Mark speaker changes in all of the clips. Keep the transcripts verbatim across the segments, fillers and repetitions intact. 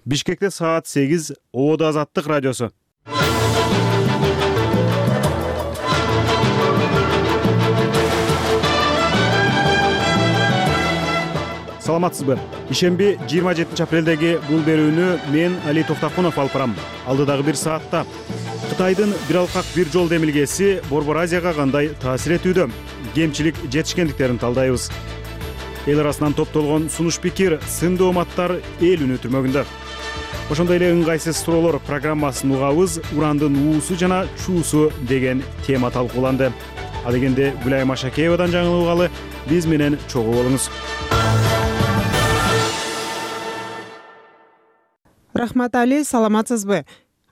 Speaker 1: Бишкекте саат сегиз. Ободо Азаттык радиосу. Саламатсызбы? Ишемби жыйырма жетинчи апрелдеги бул берүүнү мен Али Тофтакунов алып барам. Алдыдагы бир саатта Кытайдын бир алкак бир жол демилгеси Борбор Азияга кандай таасир этүүдө? Кемчилик жетишкендиктерин талдайбыз. Эл арасынан топтолгон сунуш пикир, сындуу оматтар эл үнү түрмөгүндө. Ошондой эле ыңгайсыз суроолор программасын угабыз. Урандын уусу жана чуусу деген тема талкууланды. А дегенде Гүлайым Ашакеевадан жаңылып угалы. Биз менен чогуу болуңуз.
Speaker 2: Рахмат Али, саламатсызбы?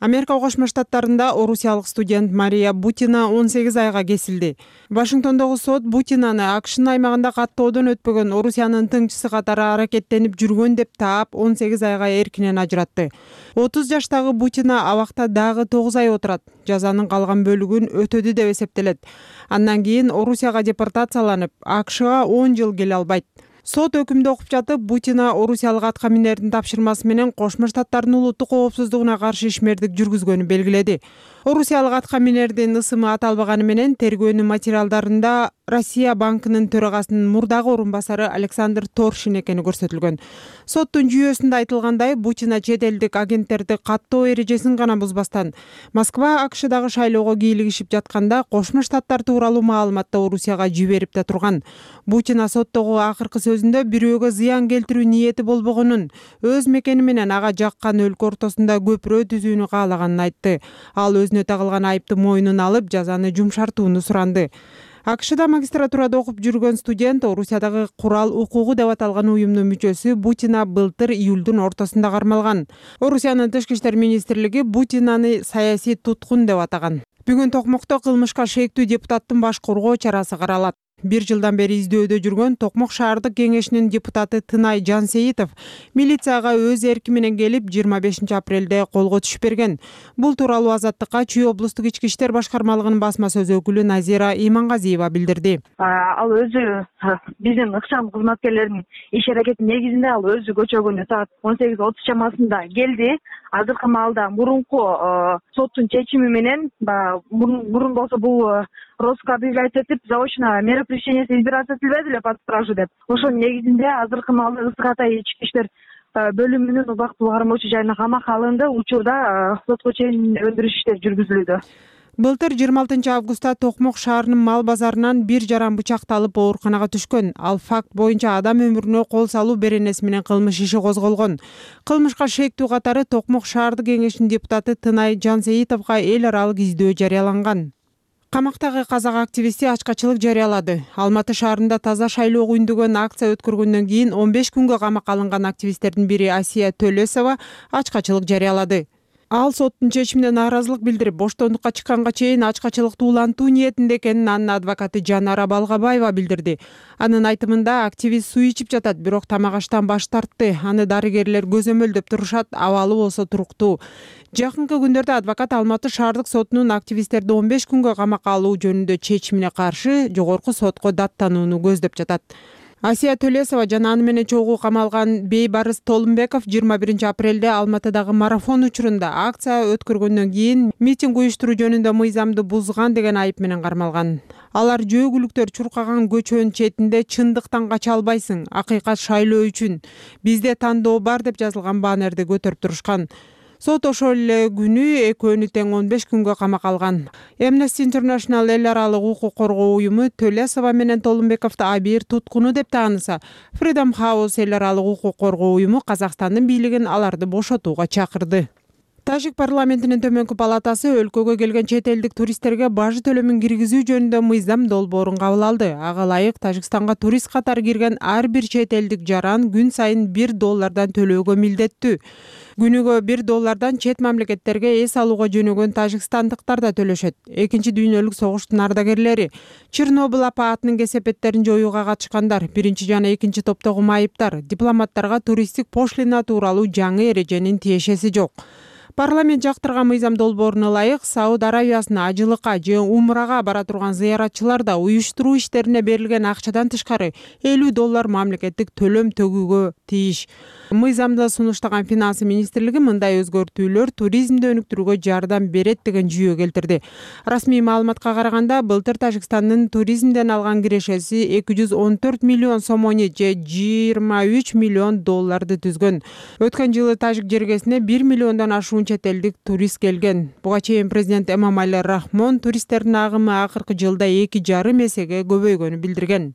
Speaker 2: Америка Кошмо Штаттарында орусиялык студент Мария Бутина он сегиз айга кесилди. Вашингтондогу сот Бутинаны АКШнын аймагында каттоодон өтпөгөн Орусиянын тыңчысы катары аракеттенип жүргөн деп таап, он сегиз айга эркинен ажыратты. отуз жаштагы Бутина абакта дагы тогуз ай отурат. Жазанын калган бөлүгүн өтөдү деп эсептелет. Андан кийин Орусияга депортацияланып, АКШга он жыл келе албайт. Сот өкүмдү окуп жатып, Бутина орусиялык атка минердин тапшырмасы менен Кошмо Штаттардын улуттук коопсуздугуна каршы ишмердик жүргүзгөнү белгиледи. Орусиялык атка минердин ысымы аталбаганы менен тергөөнүн материалдарында Россия банкынын төрагасынын мурдагы орун басары Александр Торшин экени көрсөтүлгөн. Соттун жүйөсүндө айтылгандай, Бутина чет элдик агенттерди каттоо эрежесин гана бузбастан, Москва АКШдагы шайлоого кийлигишип жатканда Кошмо Штаттар тууралуу маалыматты Орусияга жиберип да турган. Бутина соттогу акыркы сөзүндө бирөөгө зыян келтирүү ниети болбогонун, өз мекени менен ага жаккан өлкө ортосунда көпүрө түзүүнү каалаганын айтты. Ал өзүнө тагылган айыпты мойнуна алып, жазаны жумшартууну суранды. АКШда магистратурада окуп жүргөн студент Орусиядагы курал укугу деп аталган уюмдун мүчөсү Бутина былтыр июлдун ортосунда кармалган. Орусиянын тышкы иштер министрлиги Бутинаны саясий туткун деп атаган. Бүгүн Токмокто кылмышка шектүү депутаттын баш коргоо чарасы каралат. Бир жылдан бери издөөдө жүргөн Токмок шаардык кеңешинин депутаты Тынай Жансейитов милицияга өз эрки менен келип жыйырма бешинчи апрелде колго түшүп берген. Бул тууралуу Азаттыкка Чүй облустук ички иштер башкармалыгынын басма сөз өкүлү Назира Имангазиева билдирди.
Speaker 3: Ал өзү биздин ыкчам кызматкерлеринин иш аракети негизинде ал өзү көчөгүнө саат он сегиз отуз чамасында келди. Азыркы маалда мурунку соттун чечими менен мурун болсо бул розыск объявлять этип, заочно мера пресечения избираться этилбеди эле под стражу деп. Ошонун негизинде азыркы маалда Ысык Атай ички иштер бөлүмүнүн убактылуу кармоочу жайына камакка алынды. Учурда сотко чейин өндүрүш иштери жүргүзүлүүдө.
Speaker 2: Былтыр жыйырма алтынчы августта Токмок шаарынын мал базарынан бир жаран бычакталып ооруканага түшкөн. Ал факт боюнча адам өмүрүнө кол салуу беренеси менен кылмыш иши козголгон. Кылмышка шектүү катары Токмок шаардык кеңешинин депутаты Тынай Жансейитовго эл аралык издөө жарыяланган. Камактагы казак активисти ачкачылык жарыялады. Алматы шаарында таза шайлоого үндөгөн акция өткөргөндөн кийин он беш күнгө камакка алынган активисттердин бири Асия Төлөсова ачкачылык жарыялады. Ал соттун чечимине нааразылык билдирип, боштондукка чыкканга чейин ачкачылыкты улантуу ниетинде экенин анын адвокаты Жанара Балгабаева билдирди. Анын айтымында активист суу ичип жатат, бирок тамак аштан баш тартты. Аны дарыгерлер көзөмөлдөп турушат, абалы болсо туруктуу. Жакынкы күндөрдө адвокат Алматы шаардык сотунун активисттерди он беш күнгө камакка алуу жөнүндө чечимине каршы жогорку сотко даттанууну көздөп жатат. Асия Төлөсова жана аны менен чогуу камалган Бейбарыс Толумбеков жыйырма биринчи апрелде Алматыдагы марафон учурунда акция өткөргөндөн кийин митинг уюштуруу жөнүндө мыйзамды бузган деген айып менен кармалган. Алар жөөгүлүктөр чуркаган көчөнүн четинде чындыктан кача албайсың, акыйкат шайлоо үчүн бизде тандоо бар деп жазылган баннерди көтөрүп турушкан. Сот ошол эле күнү экөөнү тең он беш күнгө камакка алган. Amnesty International эл аралык укук коргоо уюму Төлөсова менен Толумбековду абийир туткуну деп тааныса, Freedom House эл аралык укук коргоо уюму Казакстандын бийлигин аларды бошотууга чакырды. Тажик парламентинин төмөнкү палатасы өлкөгө келген чет элдик туристтерге бажы төлөмүн киргизүү жөнүндө мыйзам долбоорун кабыл алды. Ага ылайык Тажикстанга турист катары кирген ар бир чет элдик жаран күн сайын бир доллардан төлөөгө милдеттүү. Күнүгө бир доллардан чет мамлекеттерге эс алууга жөнөгөн тажикстандыктар да төлөшөт. Экинчи дүйнөлүк согуштун ардагерлери, Чернобыль апаатынын кесепеттерин жоюуга катышкандар, биринчи жана экинчи топтогу майыптар, дипломаттарга туристтик пошлина тууралуу жаңы эреженин тиешеси жок. Парламент жактырган мыйзам долбооруна ылайык Сауд Аравиясына ажылыкка же умрага бара турган зыяратчылар да уюштуруу иштерине берилген акчадан тышкары элүү доллар мамлекеттик төлөм төгүүгө тийиш. Мыйзамды сунуштаган Финансы министрлиги мындай өзгөртүүлөр туризмди өнүктүрүүгө жардам берет деген жүйө келтирди. Расмий маалыматка караганда былтыр Тажикстандын туризмден алган кирешеси эки жүз он төрт миллион сомони же жыйырма үч миллион долларды түзгөн. Өткөн жылы Тажик жергесине бир миллиондон ашуун чет элдик турист келген. Буга чейин президент Эмомали Рахмон туристтердин агымы акыркы жылда эки жарым эсеге көбөйгөнүн билдирген.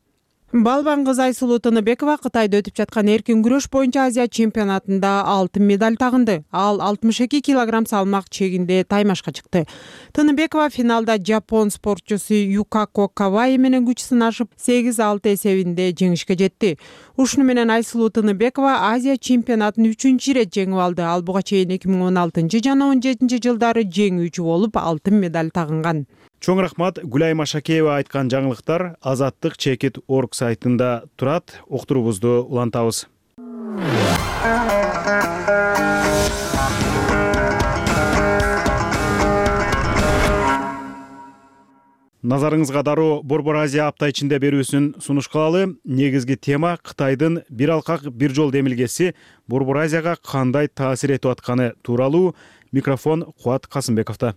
Speaker 2: Балбан кыз Айсулуу Тыныбекова Кытайда өтүп жаткан эркин күрөш боюнча Азия чемпионатында алтын медаль тагынды. Ал алтымыш эки килограмм салмак чегинде таймашка чыкты. Тыныбекова финалда жапон спортчусу Юкако Каваи менен күч сынашып сегиз алты эсебинде жеңишке жетти. Ушуну менен Айсулуу Тыныбекова Азия чемпионатын үчүнчү ирет жеңип алды. Ал буга чейин эки миң он алтынчы жана он жетинчи жылдары жеңүүчү болуп алтын медаль тагынган.
Speaker 1: Чоң рахмат. Гүлай Машакеева айткан жаңылыктар Азаттык чекит точка орг сайтында турат. Октурубузду улантабыз. Назарыңызга дароо Борбор Азия апта ичинде берүүсүн сунуш кылалы. Негизги тема Кытайдын бир алкак бир жол демилгеси Борбор Азияга кандай таасир этип атканы тууралуу. Микрофон Кубат Касымбековдо.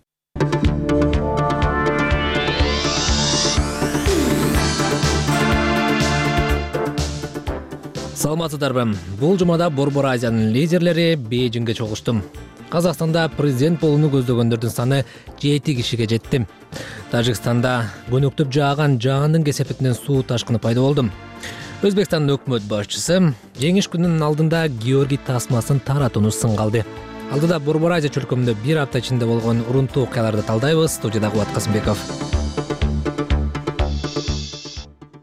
Speaker 4: Саламатсыздарбы. Бул жумада Борбор Азиянын лидерлери Бейжиңге чогулушту. Казакстанда президент болууну көздөгөндөрдүн саны жети кишиге жетти. Тажикстанда көнөктөп жааган жаандын кесепетинен суу ташкыны пайда болду. Өзбекстандын өкмөт башчысы жеңиш күнүнүн алдында Георгий тасмасын таратууну сынга алды. Алдыда Борбор Азия чөлкөмүндө бир апта ичинде болгон урунтуу окуяларды талдайбыз. Студияда Кубат Касымбеков.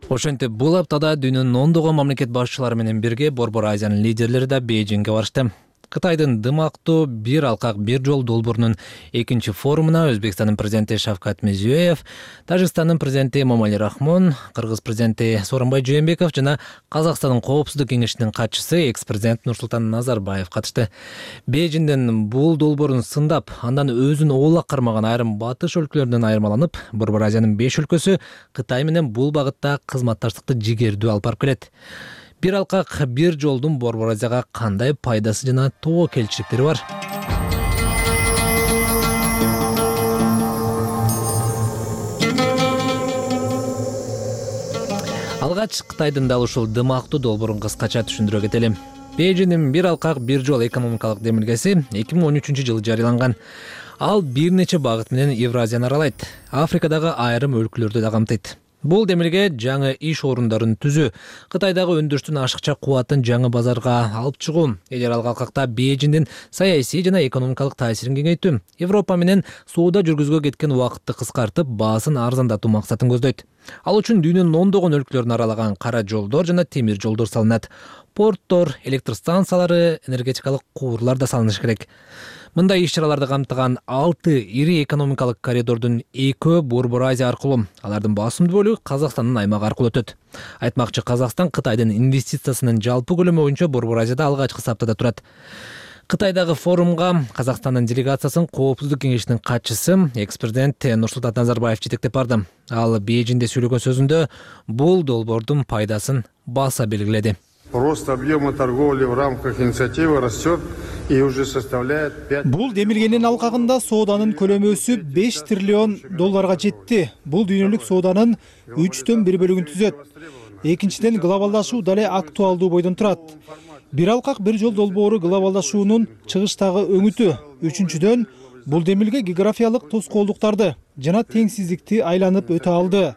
Speaker 4: Ошентип бул аптада дүйнөнүн ондогон мамлекет башчылары менен бирге Борбор Азиянын лидерлери да Бейжиңге барышты. Кытайдын дымактуу бир алкак бир жол долбоорунун экинчи форумуна Өзбекстандын президенти Шавкат Мирзиёев, Тажикстандын президенти Эмомали Рахмон, Кыргыз президенти Сооронбай Жээнбеков жана Казакстандын коопсуздук кеңешинин катчысы экс-президент Нурсултан Назарбаев катышты. Бейжиңден бул долбоорун сындап, андан өзүн оолак кармаган айрым батыш өлкөлөрдөн айырмаланып, Борбор Азиянын беш өлкөсү Кытай менен бул багытта кызматташтыкты жигердүү алып барып келет. Бир алкак бир жолдун Борбор Азияга кандай пайдасы жана тобокелчиликтери бар? Алгач Кытайдын дал ушул дымактуу долбоорун кыскача түшүндүрө кетели. Бейжиңдин бир алкак бир жол экономикалык демилгеси эки миң он үчүнчү жылы жарыяланган. Ал бир нече багыт менен Евразияны аралайт. Африкадагы айрым өлкөлөрдү да камтыйт. Бул демилге жаңы иш орундарын түзүү, Кытайдагы өндүрүштүн ашыкча кубатын жаңы базарга алып чыгуу, эгер ал алкакта Бейжиңдин саясий жана экономикалык таасирин кеңейтүү, Европа менен сууда жүргүзгө кеткен убакытты кыскартып, баасын арзандатуу максатын көздөйт. Ал үчүн дүйнөнүн ондогон өлкөлөрүн аралаган кара жолдор жана темир жолдор салынат. Порттор, электр станциялары, энергетикалык куурлар да салынышы керек. Мындай иш-чараларды камтыган алты ири экономикалык коридордун экөө Борбор Азия аркылуу, алардын басымдуу бөлүгү Казакстандын аймагы аркылуу өтөт. Айтмакчы, Казакстан Кытайдын инвестициясынын жалпы көлөмү боюнча Борбор Азияда алгачкы саптада турат. Кытайдагы форумга Казакстандын делегациясын коопсуздук кеңешинин катчысы экс-президент Нурсултан Назарбаев жетектеп барды. Ал Бейжиңде сүйлөгөн сөзүндө бул долбоордун пайдасын баса белгиледи.
Speaker 5: Рост объема торговли в рамках инициативы растет и уже составляет пять.
Speaker 6: Бул демилгенин алкагында сооданын көлөмү өсүп беш триллион долларга жетти. Бул дүйнөлүк сооданын үчтөн бир бөлүгүн түзөт. Экинчиден, глобалдашуу дале актуалдуу бойдон турат. Бир алкак бир жол долбоору глобалдашуунун чыгыштагы өңүтү. Үчүнчүдөн, бул демилге географиялык тоскоолдуктарды жана теңсиздикти айланып өтө алды.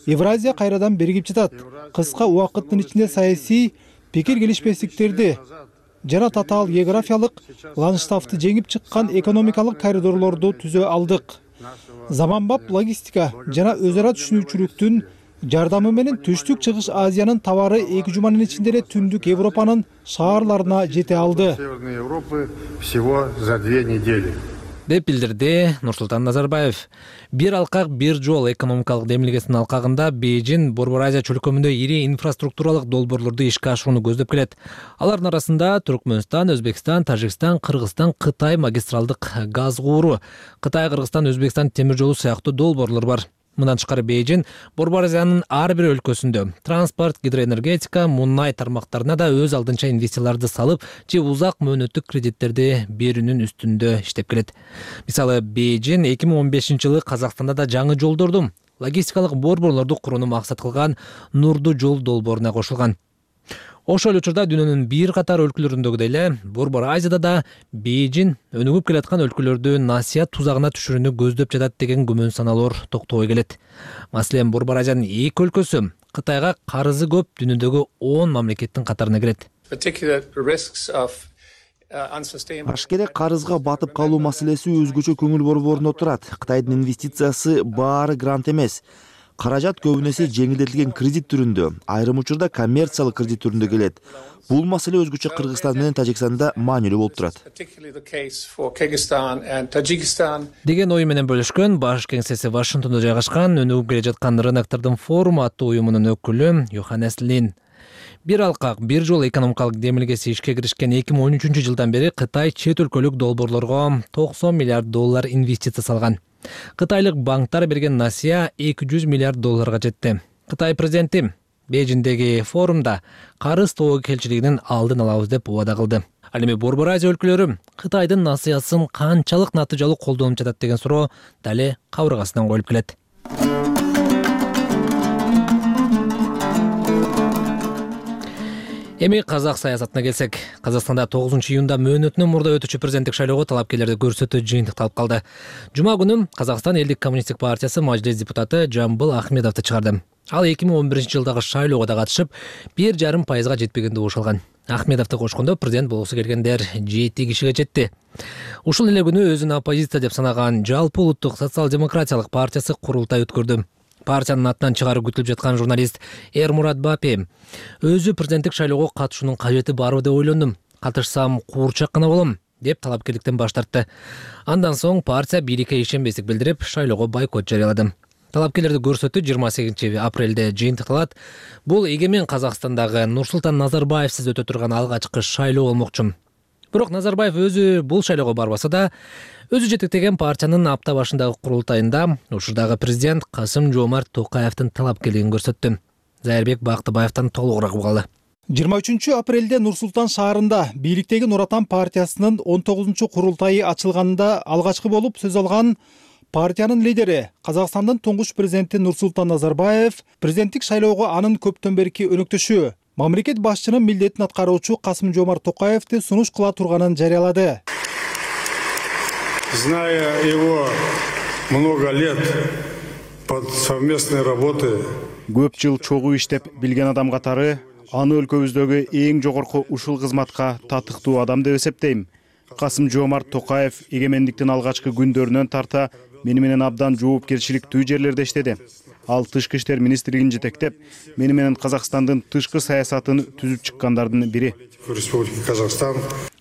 Speaker 6: Евразия кайрадан биригип жатат. Кыска убакыттын ичинде саясий пикир келишпестиктерди жана татаал географиялык ландшафтты жеңип чыккан экономикалык коридорлорду түзө алдык. Заманбап логистика жана өз ара түшүнүүчүлүктүн жардамы менен түштүк чыгыш Азиянын товары эки жуманын ичинде эле түндүк Европанын шаарларына жете алды.
Speaker 5: Северной Европы всего за две недели.
Speaker 4: деп билдирди Нурсултан Назарбаев. Бир алкак бир жол экономикалык демилгесинин алкагында Бейжин Борбор Азия чөлкөмүндө ири инфраструктуралык долбоорлорду ишке ашырууну көздөп келет. Алардын арасында Түркмөнстан, Өзбекстан, Тажикстан, Кыргызстан, Кытай магистралдык газ кууру, Кытай, Кыргызстан, Өзбекстан темир жолу сыяктуу долбоорлор бар. Мындан тышкары Бейжин Борбор Азиянын ар бир өлкөсүндө транспорт, гидроэнергетика, мунай тармактарына да өз алдынча инвестицияларды салып, же узак мөөнөттүк кредиттерди берүүнүн үстүндө иштеп келет. Мисалы, Бейжин эки миң он бешинчи жылы Казакстанда да жаңы жолдорду, логистикалык борборлорду курууну максат кылган Нурдуу жол долбооруна кошулган. Ошол учурда дүйнөнүн бир катар өлкөлөрүндөгүдөй эле Борбор Азияда да Бейжин өнүгүп келаткан өлкөлөрдү насыят тузагына түшүрүүнү көздөп жатат деген күмөн саналоор токтобой келет. Маселен, Борбор Азиянын эки өлкөсү Кытайга карызы көп дүйнөдөгү он мамлекеттин катарына кирет.
Speaker 7: Ашкере карызга батып калуу маселеси өзгөчө көңүл борборуна турат. Кытайдын инвестициясы баары грант эмес. Каражат көбүнесе жеңилдетилген кредит түрүндө, айрым учурда коммерциялык кредит түрүндө келет. Бул маселе өзгөчө Кыргызстан менен Тажикстанда маанилүү болуп турат.
Speaker 4: Деген ой менен бөлүшкөн баш кеңсеси Вашингтондо жайгашкан өнүгүп келе жаткан рыноктордун форуму аттуу уюмунун өкүлү Йоханнес Лин. Бир алкак бир жол экономикалык демилгеси ишке киришкен эки миң он үчүнчү жылдан бери Кытай чет өлкөлүк долбоорлорго токсон миллиард доллар инвестиция салган. Кытайлык банктар берген насыя эки жүз миллиард долларга жетти. Кытай президенти Бейжиндеги форумда карыз тобу келчилигинин алдын алабыз деп убада кылды. Ал эми Борбор Азия өлкөлөрү Кытайдын насыясын канчалык натыйжалуу колдонуп жатат деген суроо дале кабыргасынан коюлуп келет. Эми казак саясатына келсек, Казакстанда тогузунчу июнда мөөнөтүнөн мурда өтүүчү президенттик шайлоого талапкерлерди көрсөтүү жыйынтыкталып калды. Жума күнү Казакстан Элдик коммунисттик партиясы Мажлис депутаты Жамбыл Ахмедовду чыгарды. Ал эки миң он биринчи жылдагы шайлоого да катышып, бир жарым пайызга жетпегенди болуш алган. Ахмедовду кошкондо президент болгусу келгендер жети кишиге жетти. Ушул эле күнү өзүн оппозиция деп санаган Жалпы улуттук социал-демократиялык партиясы курултай өткөрдү. Партиянын атынан чыгаруу күтүлүп жаткан журналист Эрмурат Бапи өзү президенттик шайлоого катышуунун кажети барбы деп ойлондум. Катышсам куурчак гана болом деп талапкерликтен баш тартты. Андан соң партия бийликке ишенбестик билдирип, шайлоого бойкот жарыялады. Талапкерлерди көрсөтүү жыйырма сегизинчи апрелде жыйынтыкталат. Бул эгемен Казакстандагы Нурсултан Назарбаевсиз өтө турган алгачкы шайлоо болмокчу. Бирок Назарбаев өзү бул шайлоого барбаса да, өзү жетектеген партиянын апта башындагы курултайында учурдагы президент Касым-Жомарт Токаевдин талапкерлигин көрсөттү. Зайырбек Бактыбаевден толугураак угалы.
Speaker 6: жыйырма үчүнчү апрелде Нур-Султан шаарында бийликтеги Нур Отан партиясынын он тогузунчу курултайы ачылганында алгачкы болуп сөз алган партиянын лидери, Казакстандын туңгуч президенти Нурсултан Назарбаев президенттик шайлоого анын көптөн берки өнөктөшү, мамлекет башчынын милдетин аткаруучу Касым-Жомарт Токаевди сунуш кыла турганын жарыялады.
Speaker 5: Зная его много лет под совместной работы,
Speaker 1: Көп жыл чогуу иштеп билген адам катары аны өлкөбүздөгү эң жогорку ушул кызматка татыктуу адам деп эсептейм. Касым-Жомарт Токаев эгемендиктин алгачкы күндөрүнөн тарта мени менен абдан жоопкерчиликтүү жерлерде иштеди. Ал тышкы иштер министрлигин жетектеп, мени менен Казакстандын тышкы саясатын түзүп чыккандардын бири.
Speaker 5: Республики Казахстан.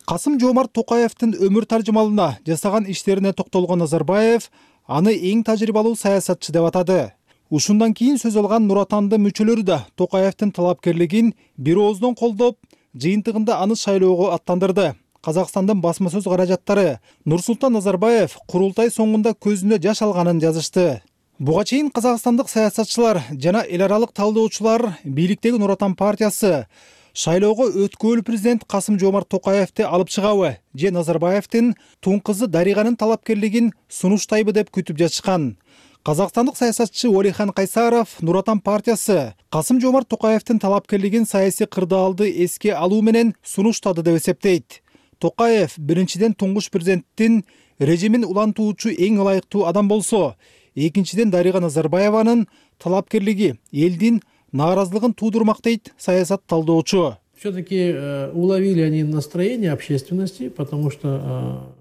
Speaker 6: Касым-Жомарт Токаевдин өмүр таржымалына жасаган иштерине токтолгон Назарбаев аны эң тажрыйбалуу саясатчы деп атады. Ушундан кийин сөз алган Нур Отандын мүчөлөрү да Токаевдин талапкерлигин бир ооздон колдоп, жыйынтыгында аны шайлоого аттандырды. Казакстандын басма сөз каражаттары Нурсултан Назарбаев курултай соңунда көзүнө жаш алганын жазышты. Буга чейин казакстандык саясатчылар жана эл аралык талдоочулар бийликтеги Нур Отан партиясы шайлоого өткөөлүү президент Касым-Жомарт Токаевди алып чыгабы же Назарбаевдин туң кызы Дариганын талапкерлигин сунуштайбы деп күтүп жатышкан. Казакстандык саясатчы Олихан Кайсаров Нур Отан партиясы Касым-Жомарт Токаевдин талапкерлигин саясий кырдаалды эске алуу менен сунуштады деп эсептейт. Токаев биринчиден туңгуч президенттин режимин улантуучу эң ылайыктуу адам болсо, экинчиден Дарига Назарбаеванын талапкерлиги элдин нааразылыгын туудурмак дейт саясат талдоочу.
Speaker 8: Все-таки уловили они настроение общественности, потому что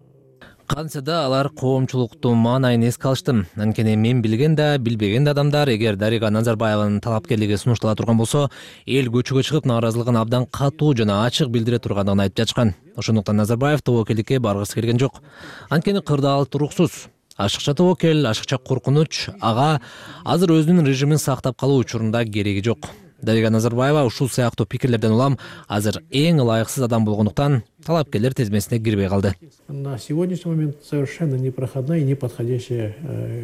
Speaker 4: Кантса да алар коомчулуктун маанайын эске алышты. Анткени мен билген да, билбеген да адамдар эгер Дарига Назарбаеванын талапкерлиги сунуштала турган болсо, эл көчөгө чыгып нааразылыгын абдан катуу жана ачык билдире тургандыгын айтып жатышкан. Ошондуктан Назарбаев тобокелдикке баргысы келген жок. Анткени кырдаал туруксуз. Ашыкча тобокел, ашыкча коркунуч ага азыр өзүнүн режимин сактап калуу учурунда кереги жок. Дарига Назарбаева ушул сыяктуу пикирлерден улам азыр эң ылайыксыз адам болгондуктан талапкерлер тизмесине кирбей калды.
Speaker 8: На сегодняшний момент совершенно непроходная и неподходящая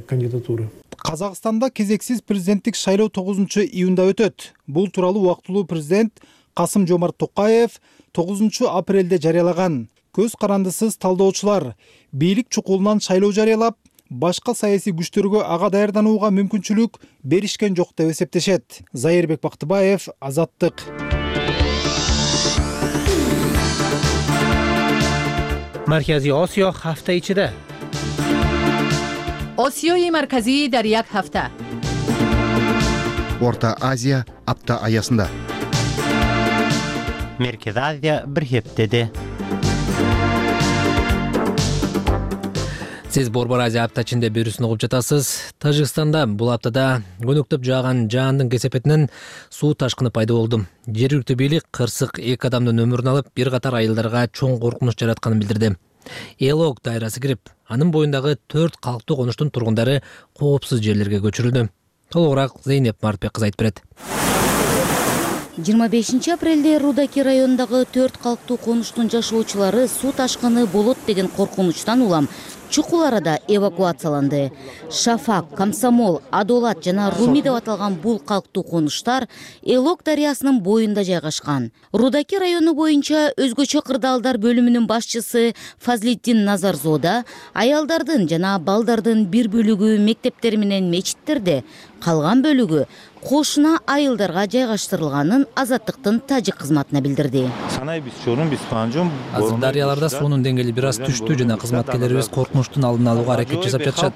Speaker 8: кандидатура.
Speaker 6: Казакстанда кезексиз президенттик шайлоо тогузунчу июнда өтөт. Бул тууралуу убактылуу президент Касым-Жомарт Токаев тогузунчу апрелде жарыялаган. Көз карандысыз талдоочулар бийлик чукулунан шайлоо жарыялап, башка саясий күчтөргө ага даярданууга мүмкүнчүлүк беришкен жок деп эсептешет. Зайырбек Бактыбаев, Азаттык.
Speaker 9: Маркази Осиё ҳафта ичида.
Speaker 10: Осиёи марказӣ дар як ҳафта.
Speaker 11: Орта Азия апта аясында.
Speaker 9: Меркез Азия бир хептеде.
Speaker 4: Сиз Борбор Азия апта ичинде берүүсүн угуп жатасыз. Тажикстанда бул аптада көнөктөп жааган жаандын кесепетинен суу ташкыны пайда болду. Жергиликтүү бийлик кырсык эки адамдын өмүрүн алып, бир катар айылдарга чоң коркунуч жаратканын билдирди. Элок дайрасы кирип, анын боюндагы төрт калктуу конуштун тургундары коопсуз жерлерге көчүрүлдү. Толугураак Зейнеп Мартбек кызы айтып берет.
Speaker 12: жыйырма бешинчи апрелде Рудаки районундагы төрт калктуу конуштун жашоочулары суу ташкыны болот деген коркунучтан улам чукул арада эвакуацияланды. Шафак, Комсомол, Адолат жана Руми деп аталган бул калктуу конуштар Элок дарыясынын боюнда жайгашкан. Рудаки району боюнча өзгөчө кырдаалдар бөлүмүнүн башчысы Фазлиддин Назарзода аялдардын жана балдардын бир бөлүгү мектептер менен мечиттерде, калган бөлүгү кошуна айылдарга жайгаштырылганын Азаттыктын тажик кызматына билдирди.
Speaker 4: Азыр дарыяларда суунун деңгээли бир аз түштү жана кызматкерлерибиз коркунучтун алдын алууга аракет жасап жатышат,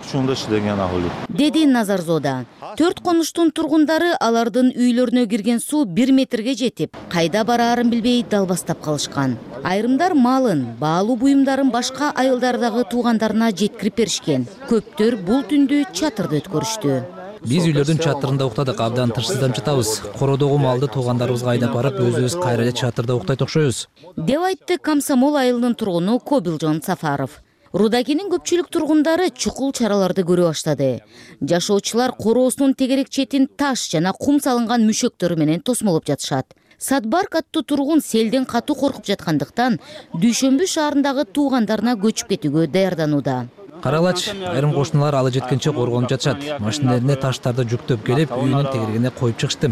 Speaker 12: деди Назарзода. Төрт конуштун тургундары алардын үйлөрүнө кирген суу бир метрге жетип, кайда бараарын билбей далбастап калышкан. Айрымдар малын, баалуу буюмдарын башка айылдардагы туугандарына жеткирип беришкен. Көптөр бул түндү чатырда өткөрүштү.
Speaker 4: Биз үйлөрдүн чатырында уктадык, абдан тынчсызданып жатабыз. Кородогу малды туугандарыбызга айдап барып, өзүбүз кайра эле чатырда уктайт окшойбуз,
Speaker 12: деп айтты Комсомол айылынын тургуну Кобилжон Сафаров. Рудакинин көпчүлүк тургундары чукул чараларды көрө баштады. Жашоочулар короосунун тегерек четин таш жана кум салынган мүшөктөрү менен тосмолоп жатышат. Садбарк аттуу тургун селден катуу коркуп жаткандыктан Дүйшөмбү шаарындагы туугандарына көчүп кетүүгө даярданууда.
Speaker 4: Каралач, айрым кошуналар алы жеткенче коргонуп жатышат. Машинелерине таштарды жүктөп келип, үйүнүн тегерегине коюп чыгышты,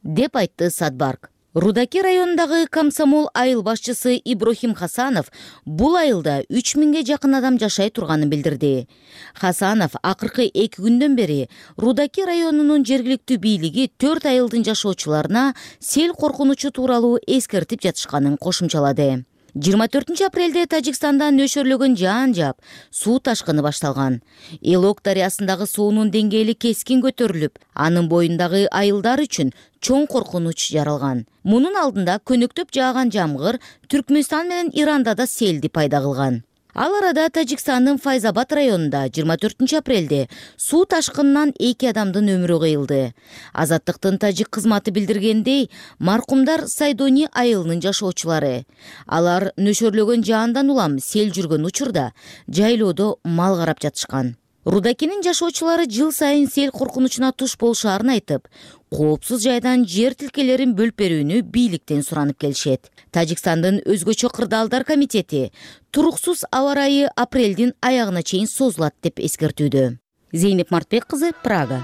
Speaker 12: деп айтты Садбарк. Рудаки районундагы Комсомол айыл башчысы Иброхим Хасанов бул айылда үч миңге жакын адам жашай турганын билдирди. Хасанов акыркы эки күндөн бери Рудаки районунун жергиликтүү бийлиги төрт айылдын жашоочуларына сел коркунучу тууралуу эскертип жатышканын кошумчалады. жыйырма төртүнчү апрелде Тажикстанда нөшөрлөгөн жаан жаап, суу ташкыны башталган. Элок дарыясындагы суунун деңгээли кескин көтөрүлүп, анын боюндагы айылдар үчүн чоң коркунуч жаралган. Мунун алдында көнөктөп жааган жамгыр Түркмөнстан менен Иранда да селди пайда кылган. Ал арада Тажикстандын Файзабад районунда жыйырма төртүнчү апрелде суу ташкынынан эки адамдын өмүрү кыйылды. Азаттыктын тажик кызматы билдиргендей, маркумдар Сайдони айылынын жашоочулары. Алар нөшөрлөгөн жаандан улам сел жүргөн учурда жайлоодо мал карап жатышкан. Рудакинин жашоочулары жыл сайын сел коркунучуна туш болушаарын айтып, коопсуз жайдан жер тилкелерин бөлүп берүүнү бийликтен суранып келишет. Тажикстандын өзгөчө кырдаалдар комитети туруксуз аба ырайы апрелдин аягына чейин созулат деп эскертүүдө. Зейнеп Мартбек кызы, Прага.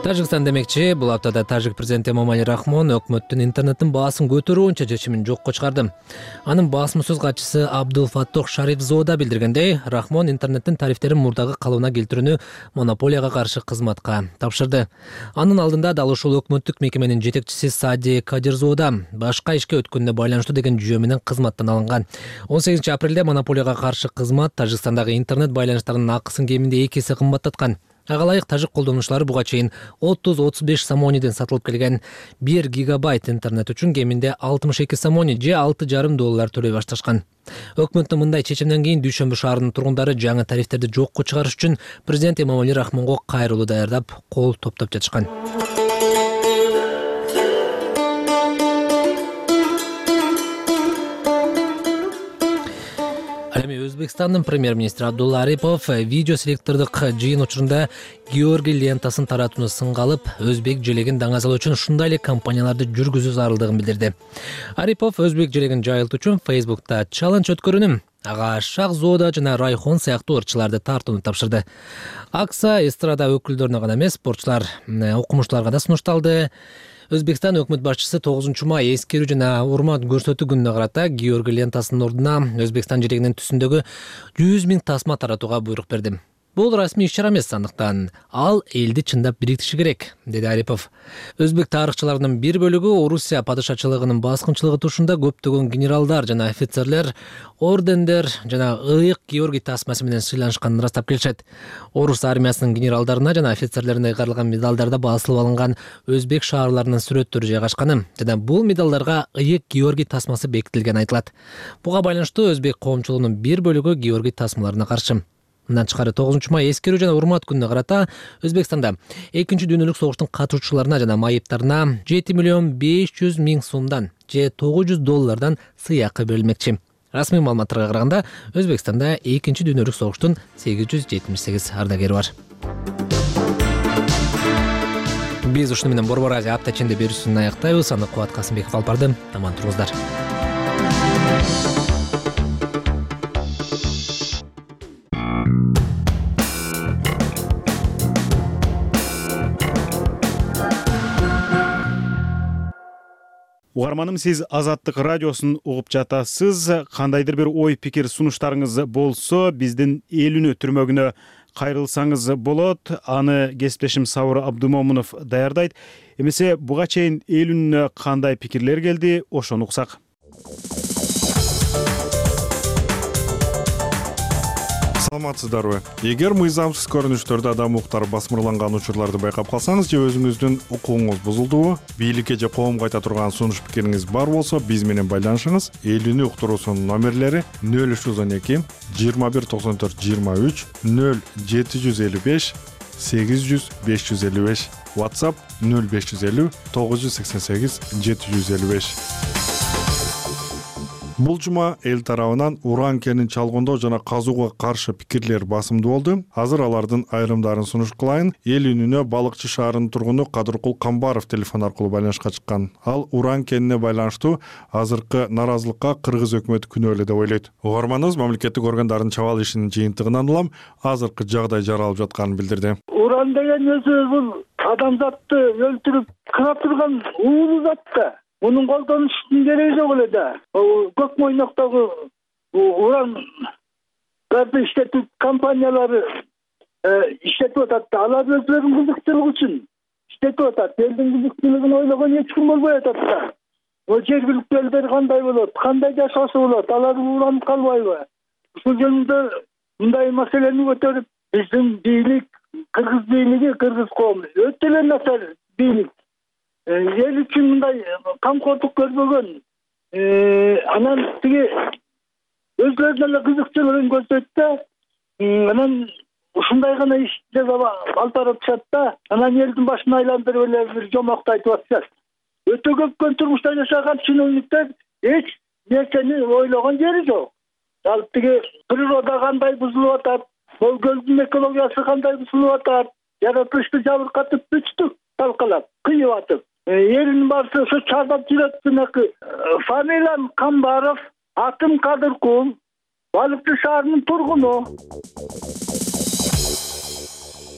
Speaker 4: Тажикстан демекчи, бул аптада тажик президенти Эмомали Рахмон өкмөттүн интернеттин баасын көтөрүү боюнча чечимин жокко чыгарды. Анын басма сөз катчысы Абдул Фаттох Шарифзода билдиргендей, Рахмон интернеттин тарифтерин мурдагы калыбына келтирүүнү монополияга каршы кызматка тапшырды. Анын алдында дал ушул өкмөттүк мекеменин жетекчиси Сади Кадирзода башка ишке өткөнүнө байланыштуу деген жүйө менен кызматтан алынган. он сегизинчи апрелде монополияга каршы кызмат Тажикстандагы интернет байланыштарынын акысын кеминде эки эсе кымбаттаткан. Ага ылайык тажик колдонуучулары буга чейин отуз отуз беш сомониден сатылып келген бир гигабайт интернет үчүн кеминде алтымыш эки сомони же алты жарым доллар төлөй башташкан. Өкмөттүн мындай чечимден кийин Дүйшөмбү шаарынын тургундары жаңы тарифтерди жокко чыгарыш үчүн президент Эмомали Рахмонго кайрылуу даярдап, кол топтоп жатышкан. Ал эми Өзбекстандын премьер-министри Абдулла Арипов видео селектордук жыйын учурунда Георгий лентасын таратууну сынга алып, өзбек желегин даңазалоо үчүн ушундай эле кампанияларды жүргүзүү зарылдыгын билдирди. Арипов өзбек желегин жайылтуу үчүн Facebook'та чаллендж өткөрүнүм, ага Шахзода жана Райхон сыяктуу ырчыларды тартууну тапшырды. Акса эстрада өкүлдөрүнө гана эмес, спортчулар, окумуштууларга да сунушталды. Өзбекстан өкмөт башчысы тогузунчу май эскерүү жана урмат көрсөтүү күнүнө карата Георгий лентасынын ордуна Өзбекстан желегинин түсүндөгү жүз миң тасма таратууга буйрук берди. Бул расмий иш-чара эмес, андыктан ал элди чындап бириктиши керек, деди Арипов. Өзбек тарыхчыларынын бир бөлүгү Орусия падышачылыгынын баскынчылыгы тушунда көптөгөн генералдар жана офицерлер ордендер жана ыйык Георгий тасмасы менен сыйланышканын ырастап келишет. Орус армиясынын генералдарына жана офицерлерине кайрылган медалдарда басылып алынган өзбек шаарларынын сүрөттөрү жайгашканы жана бул медалдарга ыйык Георгий тасмасы бекитилгени айтылат. Буга байланыштуу өзбек коомчулугунун бир бөлүгү Георгий тасмаларына каршы. Мындан тышкары тогузунчу май эскерүү жана урмат күнүнө карата Өзбекстанда экинчи дүйнөлүк согуштун катышуучуларына жана майыптарына жети миллион беш жүз миң сомдон же тогуз жүз доллардан сыйакы берилмекчи. Расмий маалыматтарга караганда Өзбекстанда экинчи дүйнөлүк согуштун сегиз жүз жетимиш сегиз ардагери бар. Биз ушуну менен Борбор Азия апта ичинде берүүсүн аяктайбыз. Аны Кубат Касымбеков алып барды. Аман туруңуздар.
Speaker 1: Угарманым, сиз Азаттык радиосун угуп жатасыз. Кандайдыр бир ой пикир сунуштарыңыз болсо, биздин элүүнү түрмөгүнө кайрылсаңыз болот. Аны кесиптешим Сабыр Абдумомунов даярдайт. Эмесе буга чейин элүүнүнө кандай пикирлер келди, ошону уксак.
Speaker 13: Саламатсыздарбы? Эгер мыйзамсыз көрүнүштөрдө адам укуктары басмырланган учурларды байкап калсаңыз же өзүңүздүн укугуңуз бузулдубу, бийликке же коомго айта турган сунуш пикириңиз бар болсо, биз менен байланышыңыз. Элүүнү уктуруусунун номерлери нөл үч жүз он эки жыйырма бир токсон төрт жыйырма үч, нөл жети жүз элүү беш сегиз жүз беш жүз элүү беш, WhatsApp нөл беш жүз элүү тогуз жүз сексен сегиз жети жүз элүү беш. Бул жума эл тарабынан уран кенин чалгындоо жана казууга каршы пикирлер басымдуу болду. Азыр алардын айрымдарын сунуш кылайын. Эл үнүнө Балыкчы шаарынын тургуну Кадыркул Камбаров телефон аркылуу байланышка чыккан. Ал уран кенине байланыштуу азыркы наразылыкка кыргыз өкмөтү күнөөлүү деп ойлойт. Угарманыбыз мамлекеттик органдардын чабаал ишинин жыйынтыгынан улам азыркы жагдай жаралып жатканын билдирди.
Speaker 14: Уран деген өзү бул адамзатты өлтүрүп кырап турган уулуу зат да. Мунун колдонуштун кереги жок эле да. Көк мойноктогу уран гарды иштетүү компаниялары иштетип атат да. Алар өзлөрүнүн кызыкчылыгы үчүн иштетип атат. Элдин кызыкчылыгын ойлогон эч ким болбой атат да. О жергиликтүү элдер кандай болот, кандай жашоосу болот, алар ууранып калбайбы? Ушул жөнүндө мындай маселени көтөрүп, биздин бийлик, кыргыз бийлиги, кыргыз коому өтө эле начар бийлик. Эл үчүн мындай камкордук көрбөгөн, анан тиги өзлөрүнүн эле кызыкчылыгын көрсөтөт да, анан ушундай гана ишти алып баратышат да, анан элдин башын айландырып эле бир жомокту айтып атышат. Өтө көпкөн турмушта жашаган чиновниктер эч нерсени ойлогон жери жок. Ал тиги природа кандай бузулуп атат, бул көлдүн экологиясы кандай бузулуп атат, жаратылышты жабыркатып бүттүк талкалап, кыйып атып. Элдин баары ошо чардап жүрөт. Фамилиям Камбаров, атым Кадыркул, Балыкчы шаарынын тургуну.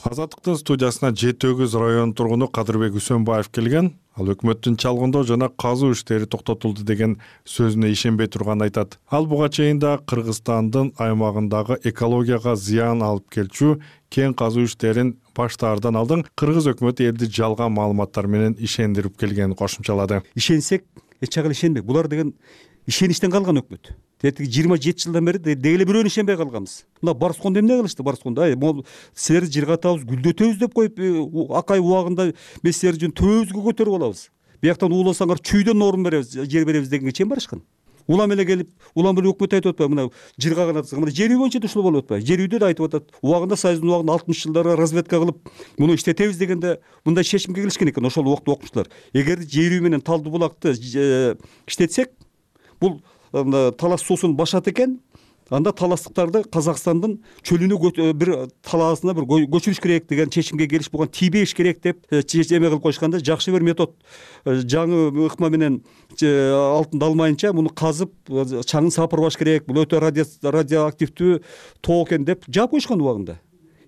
Speaker 13: Азаттыктын студиясына Жети Өгүз районунун тургуну Кадырбек Үсөнбаев келген. Ал өкмөттүн чалгындоо жана казуу иштери токтотулду деген сөзүнө ишенбей турганын айтат. Ал буга чейин да Кыргызстандын аймагындагы экологияга зыян алып келчү кен казуу иштерин баштаардан алдын кыргыз өкмөтү элди жалган маалыматтар менен ишендирип келгенин кошумчалады.
Speaker 15: Ишенсек, эч жагы ишенбек. Булар деген ишеничтен калган өкмөт. Тетиги жыйырма жети жылдан бери деги эле бирөөнө ишенбей калганбыз. Мына Барскондо эмне кылышты? Барскондо ай могул силерди жыргатабыз, гүлдөтөбүз деп коюп акай убагында мен силерди жөн төбөбүзгө көтөрүп алабыз. Бияктан ууласаңар чүйдөн орун беребиз, жер беребиз дегенге чейин барышкан. Улам эле келип, улам эле өкмөт айтып атпайбы? Мына жыргаган атсаң, мына жер үй боюнча да ушул болуп атпайбы? Жер үйдө да айтып атат. Убагында Союздун убагында алтымыш жылдары разведка кылып, муну иштетебиз дегенде мындай чечимге келишкен экен ошол убакта окумуштуулар. Эгер жер үй менен Талды булакты иштетсек, бул талас суусун башат экен, анда таластыктарды Казакстандын чөлүнө бир талаасына бир көчүрүш керек деген чечимге келиш болгон, тийбеш керек деп эме кылып коюшканда, жакшы бир метод жаңы ыкма менен алтынды алмайынча муну казып чаңын сапырбаш керек, бул өтө радиоактивдүү тоо экен деп жаап коюшкан убагында.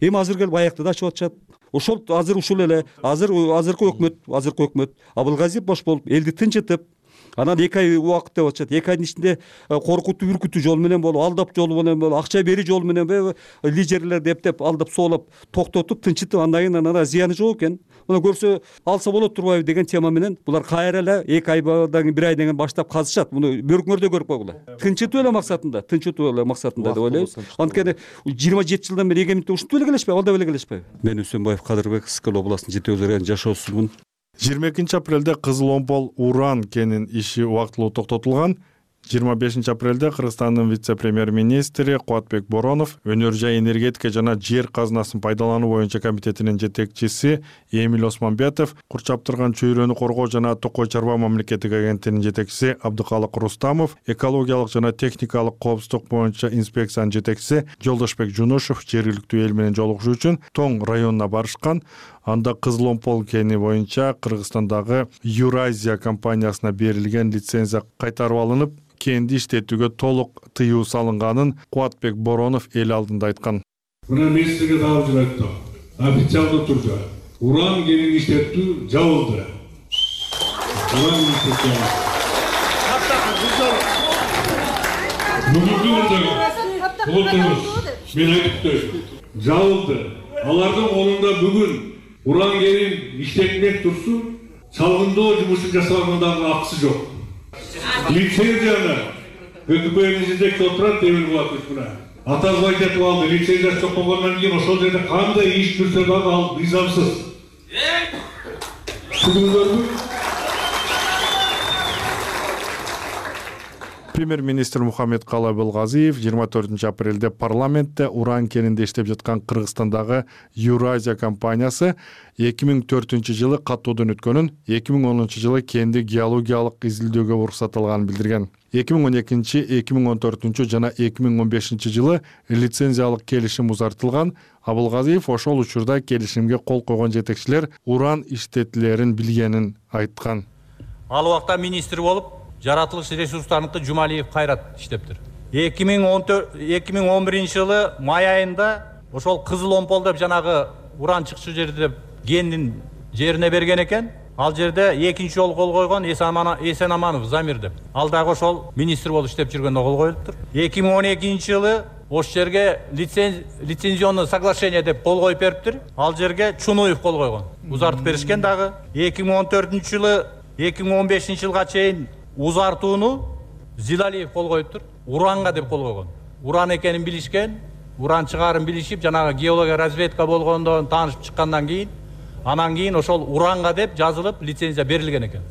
Speaker 15: Эми азыр келип аякты да ачып атышат. Ошол азыр ушул эле азыр азыркы өкмөт, азыркы өкмөт Абылгазиев бош болуп элди тынчытып, анан эки ай убакыт деп атышат. эки айдын ичинде коркутуу, үркүтүү жол менен болуп, алдап жол менен болуп, акча бери жол менен лидерлерди эптеп, алдап соолап, токтотуп, тынчытып, андан кийин анан зыяны жок экен. Мына көрсө алса болот турбайбы деген тема менен булар кайра эле эки айдан кийин, бир айдан кийин баштап казышат. Муну бөркүңөрдө көрүп койгула. Тынчытуу эле максатында, тынчытуу эле максатында деп ойлойбуз. Анткени жыйырма жети жылдан бери эгемендикте ушинтип эле келишпейби, алда эле келишпейби. Мен Үсөнбаев Кадырбек, Ысык областынын Жети Өзү районунун жашоочусумун.
Speaker 13: жыйырма экинчи апрелде Кызыл Омпол уран кенин иши убактылуу токтотулган. жыйырма бешинчи апрелде Кыргызстандын вице-премьер-министри Кубатбек Боронов, өнөр жай энергетика жана жер казынасын пайдалануу боюнча комитетинин жетекчиси Эмиль Осмонбетов, Курчаптырган чөйрөнү коргоо жана Токой чарба мамлекеттик агенттигинин жетекчиси Абдыкалык Рустамов, экологиялык жана техникалык коопсуздук боюнча инспекциянын жетекчиси Жолдошбек Жунушев жергиликтүү эл менен жолугушуу үчүн Тоң районуна барышкан. Анда Кызыл Омпол кени боюнча Кыргызстандагы Юразия компаниясына берилген лицензия кайтарып алынып, кенди иштетүүгө толук тыюу салынганын Кубатбек Боронов эл алдында айткан.
Speaker 16: Мына мен сизге дагы бир айттым. Официалдуу түрдө уран кенин иштетүү жабылды. Уран иштетүү. Бүгүнкү күндө болуптуз. Мен айттым. Жабылды. Алардын колунда бүгүн уран кенин иштетмек турсун, салгындоо жумушу жасалгандагы акысы жок. Лицензияны өкмөттүн жетекчиси отурат, Эмиль Булатович мына. Атасы айтып алды, лицензиясы жок болгондон кийин ошол жерде кандай иш жүрсө дагы ал мыйзамсыз. Түшүндүңүзбү?
Speaker 13: Премьер-министр Мухаммедкалы Абылгазиев жыйырма төртүнчү апрелде парламентте уран кенинде иштеп жаткан Кыргызстандагы Юразия компаниясы эки миң төртүнчү жылы каттоодон өткөнүн, эки миң онунчу жылы кенди геологиялык изилдөөгө уруксат алганын билдирген. эки миң он экинчи, эки миң он төртүнчү жана эки миң он бешинчи жылы лицензиялык келишим узартылган. Абылгазиев ошол учурда келишимге кол койгон жетекчилер уран иштетилерин билгенин айткан.
Speaker 17: Ал убакта министр болуп, жаратылыш ресурстарыныкы Жумалиев Кайрат иштептир. эки миң он биринчи жылы май айында ошол Кызыл Омпол деп жанагы уран чыкчу жерди деп кендин жерине берген экен. Ал жерде экинчи жолу кол койгон Эсенаманов Замир деп. Ал дагы ошол министр болуп иштеп жүргөндө кол коюлуптур. эки миң он экинчи жылы ошол жерге лицензионный соглашение деп кол коюп бериптир. Ал жерге Чунуев кол койгон. Узартып беришкен дагы. эки миң он төртүнчү жылы эки миң он бешинчи жылга чейин узартууну Зилалиев кол коюптур. Уранга деп кол койгон. Уран экенин билишкен, уран чыгаарын билишип, жанагы геология разведка болгондон таанышып чыккандан кийин, анан кийин ошол уранга деп жазылып лицензия берилген экен.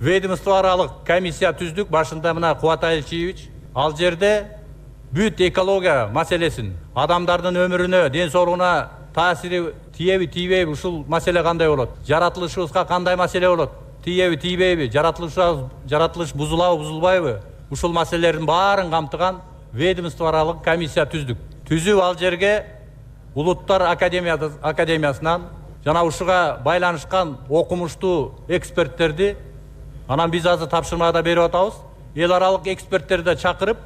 Speaker 17: Ведомство аралык комиссия түздүк, башында мына Кубат Айылчиевич. Ал жерде бүт экология маселесин, адамдардын өмүрүнө, ден соолугуна таасири тиеби, тийбейби, ушул маселе кандай болот? Жаратылышыбызга кандай маселе болот? Тиеби, тийбейби, жаратылыш жаратылыш бузулабы, бузулбайбы? Ушул маселелердин баарын камтыган ведомство аралык комиссия түздүк. Түзүп ал жерге Улуттар академиясынан жана ушуга байланышкан окумуштуу эксперттерди, анан биз азыр тапшырмада берип атабыз. Эл аралык эксперттерди чакырып,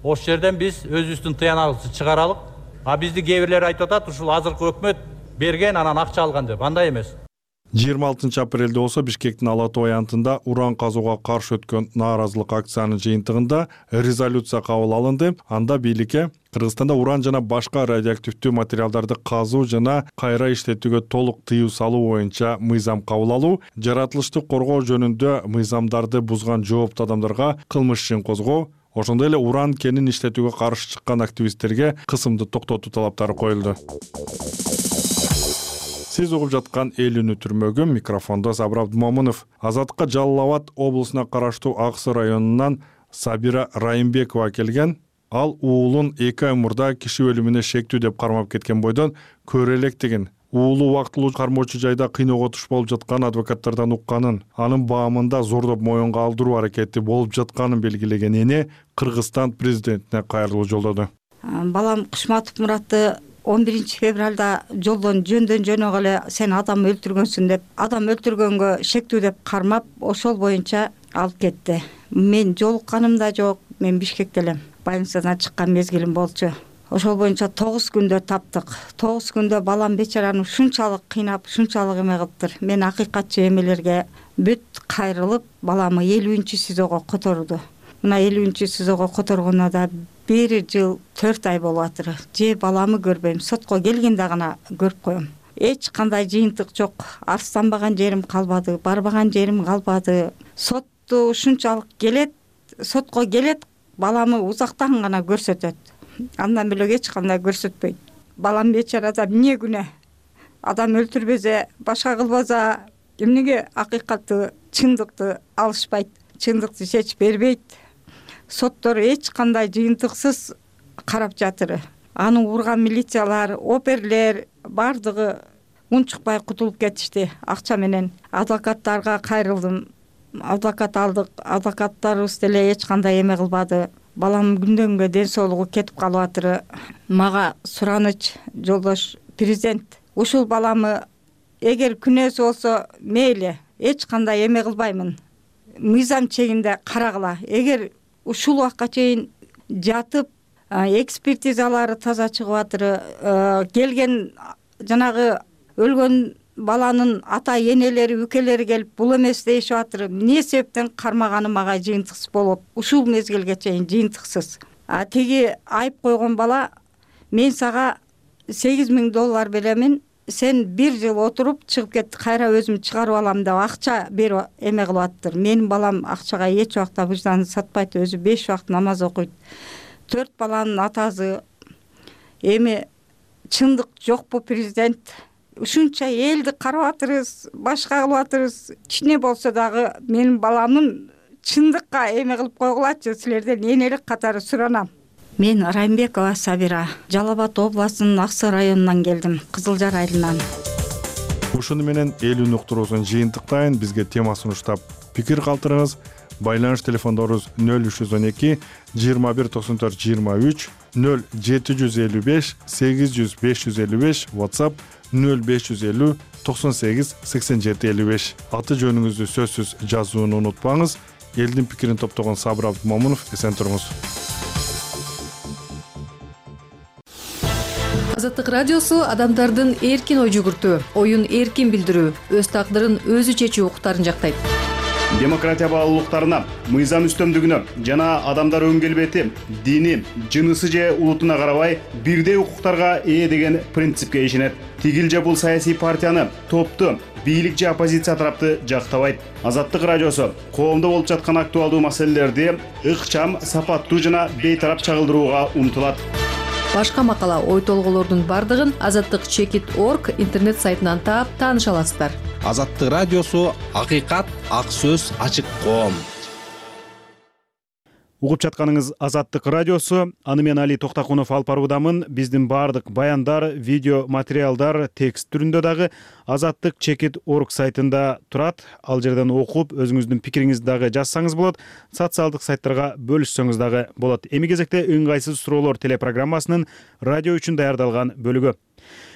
Speaker 17: ошол жерден биз өзүбүздүн тыянагыбызды чыгаралык. А бизди кээ бирлер айтып атат, ушул азыркы өкмөт берген, анан акча алган деп. Андай эмес.
Speaker 13: жыйырма алтынчы апрелде болсо Бишкектин Ала Тоо аянтында уран казууга каршы өткөн нааразылык акциянын жыйынтыгында резолюция кабыл алынды. Анда бийликке Кыргызстанда уран жана башка радиоактивдүү материалдарды казуу жана кайра иштетүүгө толук тыюу салуу боюнча мыйзам кабыл алуу, жаратылышты коргоо жөнүндө мыйзамдарды бузган жооптуу адамдарга кылмыш ишин козгоо, ошондой эле уран кенин иштетүүгө каршы чыккан активисттерге кысымды токтотуу талаптары коюлду. Сиз угуп жаткан эл үнү түрмөгү, микрофондо Сабыр Абдымомунов. Азаттыкка Жалал Абад облусуна караштуу Аксы районунан Сабира Райымбекова келген. Ал уулун эки ай мурда киши өлүмүнө шектүү деп кармап кеткен бойдон көрө электигин, уулу убактылуу кармоочу жайда кыйноого туш болуп жаткан адвокаттардан укканын, анын баамында зордоп моюнга алдыруу аракети болуп жатканын белгилеген эне Кыргызстан президентине кайрылуу жолдоду.
Speaker 18: Балам Кушматов Муратты он биринчи февралда жолдон жөндөн жөнөгө эле сен адам өлтүргөнсүң деп, адам өлтүргөнгө шектүү деп кармап, ошол боюнча алып кетти. Мен жолукканым да жок, мен Бишкекте элем. Больницадан чыккан мезгилим болчу. Ошол боюнча тогуз күндө таптык. тогуз күндө балам бечараны ушунчалык кыйнап, ушунчалык эме кылыптыр. Мен акыйкатчы эмелерге бүт кайрылып, баламы элүүнчү СИЗОго которду. Мына элүүнчү СИЗОго которгондо да бир жыл төрт ай болуп атыр. Же баламы көрбөйм, сотко келгенде гана көрүп коем. Эч кандай жыйынтык жок. Арстанбаган жерим калбады, барбаган жерим калбады. Сотту ушунчалык келет, сотко келет, баламы узактан гана көрсөтөт. Андан бөлөк эч кандай көрсөтпөйт. Балам бечарада эмне күнөө? Адам өлтүрбөзө, башка кылбаса, эмнеге акыйкатты, чындыкты алышпайт, чындыкты чечип бербейт? Соттор эч кандай жыйынтыксыз карап жатыр. Аны урган милициялар, оперлер бардыгы унчукпай кутулуп кетишти акча менен. Адвокаттарга кайрылдым. Адвокат алдык, адвокаттарыбыз деле эч кандай эме кылбады. Балам күндөн күнгө ден соолугу кетип калып атыр. Мага сураныч жолдош президент, ушул баламы эгер күнөөсү болсо мейли, эч кандай эме кылбаймын. Мыйзам чегинде карагыла. Эгер ушул убакка чейин жатып, экспертизалары таза чыгып атыр, келген жанагы өлгөн баланын ата энелери, үкелери келип бул эмес дейишип атыр. Эмне себептен кармаганы мага жыйынтыксыз болуп, ушул мезгилге чейин жыйынтыксыз. А тиги айып койгон бала, мен сага сегиз миң доллар беремин, сен бир жыл отуруп чыгып кет, кайра өзүм чыгарып алам деп акча берип эме кылып аттыр. Менин балам акчага эч убакта выжданын сатпайт, өзү беш убакыт намаз окуйт. Төрт баланын атасы. Эми чындык жокпу президент? Ушунча элди карап атырбыз, башка кылып атырбыз. Кичине болсо дагы менин баламын чындыкка эме кылып койгулачы, силерден энелик катары суранам. Мен Райымбекова Сабира, Жалал Абад областынын Аксы районунан келдим, Кызылжар айылынан.
Speaker 13: Ушуну менен эл үнү уктуруусун жыйынтыктайын. Бизге тема сунуштап пикир калтырыңыз. Байланыш телефондорубуз нөл үч жүз он эки жыйырма бир токсон төрт жыйырма үч, нөл жети жүз элүү беш сегиз жүз беш жүз элүү беш, WhatsApp нөл беш жүз элүү токсон сегиз сексен жети элүү беш. Аты жөнүңүздү сөзсүз жазууну унутпаңыз. Элдин пикирин топтогон Сабыр Абдымомунов, эсен туруңуз.
Speaker 10: Азаттык радиосу адамдардын эркин ой жүгүртүү, оюн эркин билдирүү, өз тагдырын өзү чечүү укуктарын жактайт.
Speaker 1: Демократия баалуулуктарына, мыйзам үстөмдүгүнө жана адамдар өң келбети, дини, жынысы же улутуна карабай бирдей укуктарга ээ деген принципке ишенет. Тигил же бул саясий партияны, топту, бийлик же оппозиция тарапты жактабайт. Азаттык радиосу коомдо болуп жаткан актуалдуу маселелерди ыкчам, сапаттуу жана бейтарап чагылдырууга умтулат.
Speaker 10: Башка макала, ой толголордун бардыгын азаттык чекит точка орг интернет сайтынан таап тааныша аласыздар.
Speaker 19: Азаттык радиосу акыйкат, ак сөз, ачык коом.
Speaker 1: Угуп жатканыңыз Азаттык радиосу. Аны мен Али Токтакунов алып баруудамын. Биздин бардык баяндар, видео материалдар текст түрүндө дагы азаттык чекит точка орг сайтында турат. Ал жерден окуп, өзүңүздүн пикириңизди дагы жазсаңыз болот. Социалдык сайттарга бөлүшсөңүз дагы болот. Эми кезекте ыңгайсыз суроолор телепрограммасынын радио үчүн даярдалган бөлүгү.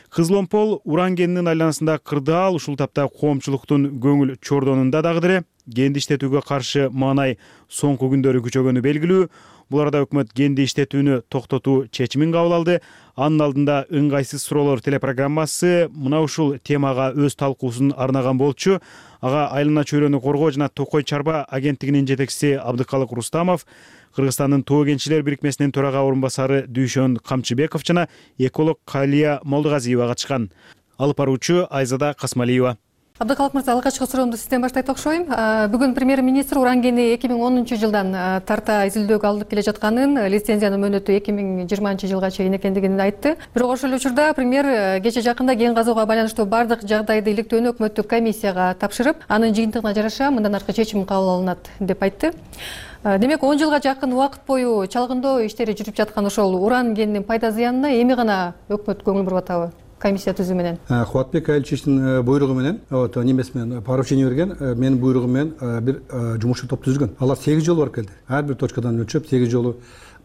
Speaker 1: Кызыл-Омпол уран кенинин айланасында кырдаал, ушул тапта коомчулуктун көңүл чордонунда дагы деле кенди иштетүүгө каршы маанай соңку күндөрү күчөгөнү белгилүү. Бул арада өкмөт кенди иштетүүнү токтотуу чечимин кабыл алды. Анын алдында ыңгайсыз суроолор телепрограммасы мына ушул темага өз талкуусун арнаган болчу. Ага айлана чөйрөнү коргоо жана Токой чарба агенттигинин жетекчиси Абдыкалык Рустамов, Кыргызстандын Тоо кенчилер бирикмесинин төрага орун басары Дүйшөн Камчыбеков жана эколог Калия Молдугазиева катышкан. Алып баруучу Айзада Касмалиева.
Speaker 20: Абдыкалык мырза, алгачкы суроомду сизден баштайт окшойм. Бүгүн премьер-министр уран кени эки миң онунчу жылдан тарта изилдөөгө алынып келе жатканын, лицензиянын мөөнөтү эки миң жыйырманчы жылга чейин экендигин айтты. Бирок ошол эле учурда премьер кече жакында кен казууга байланыштуу бардык жагдайды иликтөөнү өкмөттүк комиссияга тапшырып, анын жыйынтыгына жараша мындан аркы чечим кабыл алынат деп айтты. Демек, он жылга жакын убакыт бою чалгындоо иштери жүрүп жаткан ошол уран кенинин пайда зыянына эми гана өкмөт көңүл буруп атабы? Комиссия түзүү менен. Кубатбек
Speaker 8: Айылчевичтин буйругу менен, вот немеси менен поручение берген, менин буйругум менен бир жумушчу топ түзүлгөн. Алар сегиз жолу барып келди. Ар бир точкадан өлчөп, сегиз жолу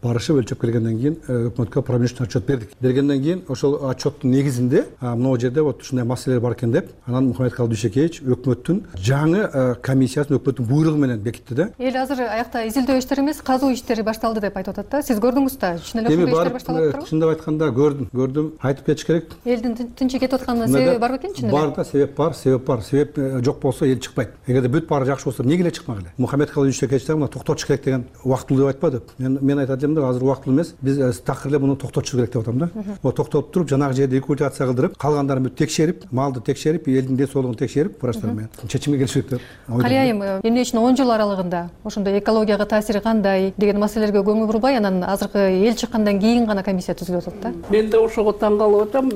Speaker 8: барышып өлчөп келгенден кийин өкмөткө промежуточный отчет бердик. Бергенден кийин ошол отчеттун негизинде могу жерде вот ушундай маселелер бар экен деп, анан Мухаммедкалый Дүйшөкеевич өкмөттүн жаңы комиссиясын өкмөттүн буйругу менен бекитти да. Эл азыр аякта изилдөө иштери эмес, казуу иштери башталды деп айтып атат да. Сиз көрдүңүз да? Чын эле ошондой иштер башталып атпырбы? Чындап айтканда көрдүм, көрдүм. Айтып кетиш керек. Элдин тынчы кетип атканына себеби барбы экен чын эле? Бар да, себеп бар, себеп бар. Себеп жок болсо эл чыкпайт. Эгерде бүт баары жакшы болсо эмнеге эле чыкмак эле? Мухаммедкалый Дүйшөкеевич дагы мына токтотуш керек деген убактылуу деп айтпады. Мен мен айтат элем да, азыр убактылуу эмес. Биз такыр эле муну токтотуш керек деп атам да. Вот токтотуп туруп, жанагы жерди рекультация кылдырып, калгандарын бүт текшерип, малды текшерип, элдин ден соолугун текшерип, врачтар менен чечимге келиш керек деп. Калай айым, эмне үчүн он жыл аралыгында ошондой экологияга таасири кандай деген маселелерге көңүл бурбай, анан азыркы эл чыккандан кийин гана комиссия түзүлүп атат да?
Speaker 21: Мен да ошого таң калып атам.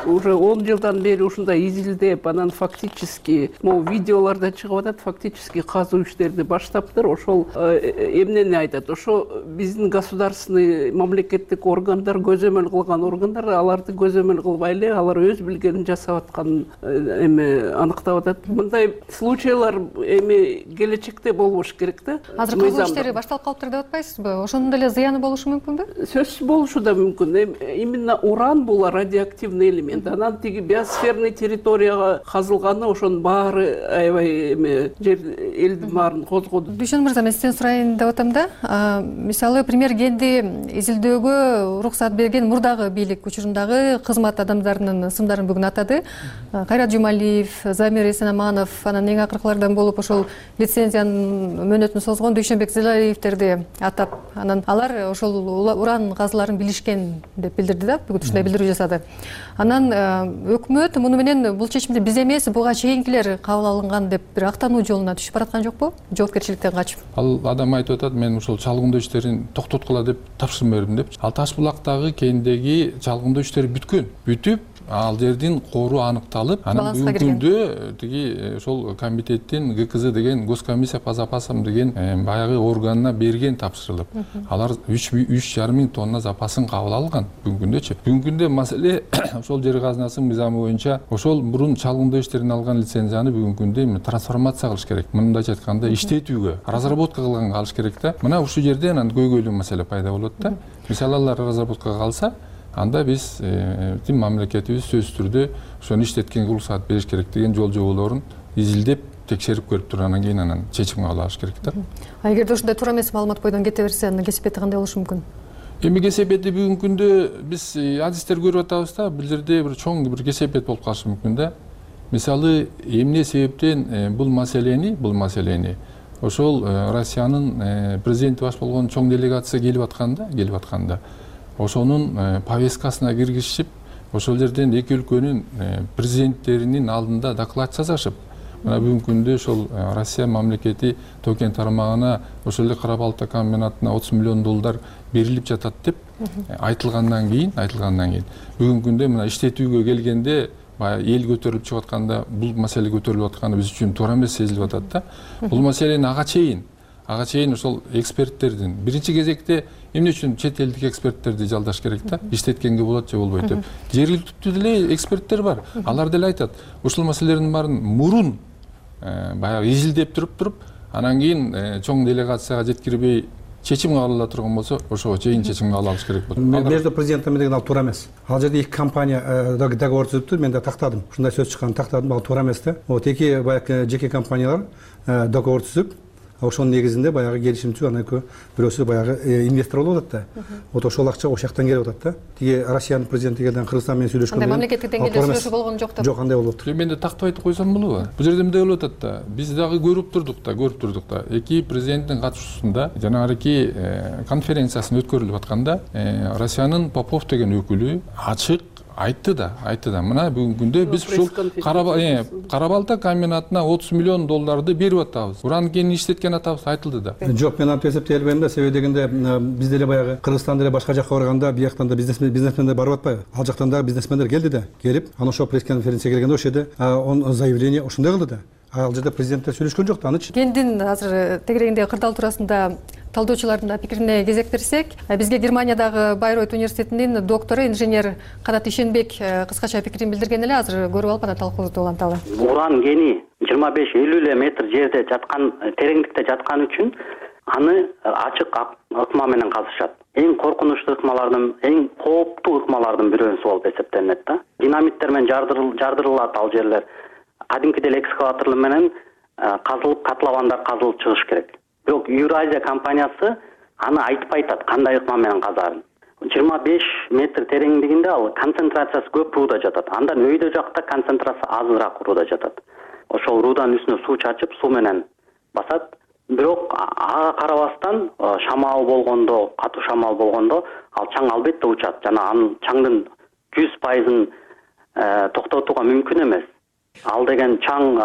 Speaker 21: Уже он жылдан бери ушундай изилдеп, анан фактически могу видеолордо чыгып атат, фактически казуу иштерди баштаптыр. Ошол эмнени айтат? Ошо биздин государственный мамлекеттик органдар, көзөмөл кылган органдар, аларды көзөмөл кылбай эле алар өз билгенин жасап атканын эми аныктап атат. Мындай случайлар эми келечекте болбош керек да.
Speaker 20: Азыр казуу иштери башталып калыптыр деп атпайсызбы? Ошонун деле зыяны болушу мүмкүнбү?
Speaker 21: Сөзсүз болушу да мүмкүн. Именно уран бул радиоактивный элемент. Анан тиги биосферный территорияга казылганы ошонун баары аябай эми жер элдин баарын козгоду.
Speaker 20: Дүйшөн мырза, мен сизден сурайын деп атам да. Мисалы премьер кенди изилдөөгө уруксат берген мурдагы бийлик учурундагы кызмат адамдарынын ысымдарын бүгүн атады. Кайрат Жумалиев, Замир Эсенаманов, анан эң акыркылардан болуп ошол лицензиянын мөөнөтүн созгон Дүйшөнбек Зилалиевтерди атап, анан алар ошол уран казыларын билишкен деп билдирди да, бүгүн ушундай билдирүү жасады. Анан өкмөт муну менен бул чечимди биз эмес, буга чейинкилер кабыл алынган деп бир актануу жолуна түшүп бараткан жокпу? Жоопкерчиликтен качып.
Speaker 22: Ал адам айтып атат, мен ошол чалгындоо иштерин токтоткула деп тапшырма бердим деп. Ал Таш булактагы кендеги чалгындоо иштери бүткөн. Бүтүп, ал жердин кору аныкталып, анан бүгүнкү күндө тиги ошол комитеттин Г К З деген госкомиссия по запасам деген баягы органына берген тапшырылып. Алар үч жарым миң тонна запасын кабыл алган бүгүнкү күндөчү. Бүгүнкү күндө маселе ошол жер казынасынын мыйзамы боюнча ошол мурун чалгындоо иштерин алган лицензияны бүгүнкү күндө трансформация кылыш керек. Мындайча айтканда иштетүүгө, разработка кылганга алыш керек да. Мына ушул жерде анан көйгөйлүү маселе пайда болот да. Мисалы алар разработкага калса, анда биз тим мамлекетибиз сөзсүз түрдө ошону иштеткенге уруксат бериш керек деген жол жоболорун изилдеп текшерип көрүп туруп анан кийин анан чечим кабыл алыш керек да.
Speaker 20: А эгерде ушундай туура эмес маалымат бойдон кете берсе, анын кесипети кандай болушу мүмкүн?
Speaker 22: Эми кесепети бүгүнкү күндө биз адистер көрүп атабыз да, бул жерде бир чоң бир кесепет болуп калышы мүмкүн да. Мисалы, эмне себептен бул маселени, бул маселени ошол Россиянын президенти баш болгон чоң делегация келип атканда, келип атканда ошонун повесткасына киргизишип, ошол жерден эки өлкөнүн президенттеринин алдында доклад жасашып, мына бүгүнкү күндө ошол Россия мамлекети Токен тармагына ошол эле кара балта комбинатына отуз миллион доллар берилип жатат деп айтылгандан кийин, айтылгандан кийин бүгүнкү күндө мына иштетүүгө келгенде баягы эл көтөрүлүп чыгып атканда бул маселе көтөрүлүп атканы биз үчүн туура эмес сезилип атат да. Бул маселени ага чейин, ага чейин ошол эксперттердин биринчи кезекте эмне үчүн чет элдик эксперттерди жалдаш керек да, иштеткенге болот же болбойт деп. Жергиликтүү деле эксперттер бар. Алар деле айтат, ушул маселелердин баарын мурун баягы изилдеп туруп туруп, анан кийин чоң делегацияга жеткирбей чечим кабыл ала турган болсо ошого чейин чечим кабыл алыш керек болот.
Speaker 8: Между президентами деген ал туура эмес. Ал жерде эки компания договор түзүптүр, мен да тактадым. Ушундай сөз чыкканын тактадым, ал туура эмес да. Вот эки баягы жеке компаниялар договор түзүп, ошонун негизинде баягы келишим түзүп, анан экөө бирөөсү баягы инвестор болуп атат да. Вот ошол акча ошол жактан келип атат да. Тиги Россиянын президенти келген Кыргызстан менен сүйлөшкөндө
Speaker 20: андай мамлекеттик деңгээлде сүйлөшүү болгон жок деп.
Speaker 8: Жок, андай болуп атат.
Speaker 22: Мен да тактап айтып койсом болобу? Бул жерде мындай болуп атат да. Биз дагы көрүп турдук да, көрүп турдук да. Эки президенттин катышуусунда жанагы конференциясын өткөрүлүп атканда Россиянын Попов деген өкүлү ачык айтты да, айтты да. Мына бүгүнкү күндө биз ушул Кара-Балта комбинатына отуз миллион долларды берип атабыз. Уран кенин иштеткен атабыз айтылды да.
Speaker 8: Жок, мен антип эсептелбейм да. Себеби дегенде биз деле баягы Кыргызстан деле башка жакка барганда бияктан да бизнесмен бизнесмендер барып атпайбы? Ал жактан да бизнесмендер келди да. Келип, анан ошол пресс-конференцияга келгенде ошол жерде он заявление ошондой кылды да. Ал жерде президенттер сүйлөшкөн жок да, анычы.
Speaker 20: Кендин азыр тегерегинде кырдаал туурасында талдоочулардын пикирине кезек берсек, бизге Германиядагы Байройт университетинин доктору инженер Канат Ишенбек кыскача пикирин билдирген эле, азыр көрүп алып анан талкуубузду уланталы.
Speaker 2: Уран кени жыйырма беш элүү эле метр жерде жаткан, тереңдикте жаткан үчүн аны ачык ыкма менен казышат. Эң коркунучтуу ыкмалардын, эң кооптуу ыкмалардын бирөөсү болуп эсептелинет да. Динамиттер менен жардырылат ал жерлер. Кадимки деле экскаватор менен казылып, котловандар казылып чыгыш керек. Бирок Евразия компаниясы аны айтпай атат, кандай ыкма менен казарын. жыйырма беш метр тереңдигинде ал концентрациясы көп рууда жатат. Андан өйдө жакта концентрация азыраак рууда жатат. Ошол руудан үстүнө суу чачып, суу менен басат. Бирок ага карабастан шамал болгондо, катуу шамал болгондо ал чаң албетте учат. Жана анын чаңдын жүз пайызын токтотууга мүмкүн эмес. Ал деген чаң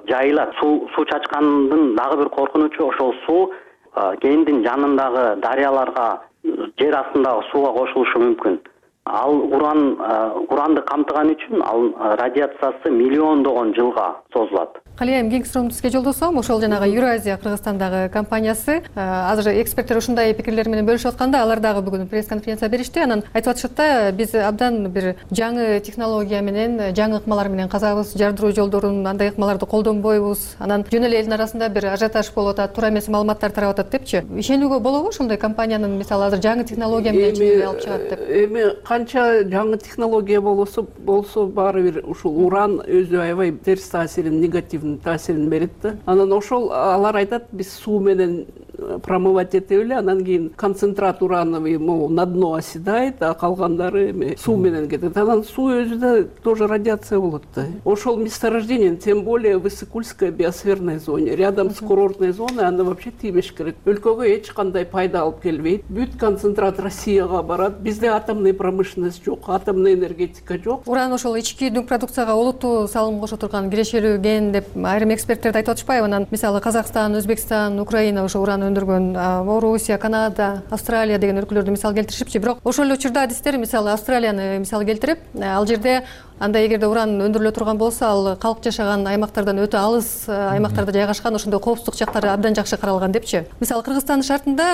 Speaker 2: жайылат. Суу суу чачкандын дагы бир коркунучу ошол суу кендин жанындагы дарыяларга, жер астындагы сууга кошулушу мүмкүн. Ал уран уранды камтыган үчүн ал радиациясы миллиондогон жылга созулат.
Speaker 20: Калыйм кеңки суроомду сизге жолдосом, ошол жанагы Евразия Кыргызстандагы компаниясы азыр эксперттер ушундай пикирлер менен бөлүшүп атканда, алар дагы бүгүн пресс-конференция беришти. Анан айтып атышат да, биз абдан бир жаңы технология менен, жаңы ыкмалар менен казабыз, жардыруу жолдорун, андай ыкмаларды колдонбойбуз. Анан жөн эле элдин арасында бир ажиотаж болуп атат, туура эмес маалыматтар тарап атат депчи. Ишенүүгө болобу ошондой компаниянын мисалы азыр жаңы технология менен чыгып алып чыгат деп?
Speaker 21: Эми канча жаңы технология болсо болсо баары бир ушул уран өзү аябай терс таасирин, негативдүү таасирин берет да. Анан ошол алар айтат, биз суу менен промывать этип эле, анан кийин концентрат урановый могу на дно оседает, а калгандары эми суу менен кетет. Анан суу өзү да тоже радиация болот да. Ошол месторождение, тем более в Иссык-Кульской биосферной зоне, рядом с курортной зоной, аны вообще тийбеш керек. Өлкөгө эч кандай пайда алып келбейт. Бүт концентрат Россияга барат. Бизде атомный промышленность жок, атомный энергетика жок.
Speaker 20: Уран ошол ички дүң продукцияга олуттуу салым кошо турган кирешелүү кен деп айрым эксперттерди айтып атышпайбы? Анан мисалы Казакстан, Өзбекстан, Украина ошо уран өндүргөн, Орусия, Канада, Австралия деген өлкөлөрдү мисал келтиришипчи. Бирок ошол эле учурда адистер мисалы Австралияны мисал келтирип, ал жерде анда эгерде уран өндүрүлө турган болсо, ал калк жашаган аймактардан өтө алыс аймактарда жайгашкан, ошондой коопсуздук жактары абдан жакшы каралган депчи. Мисалы Кыргызстандын шартында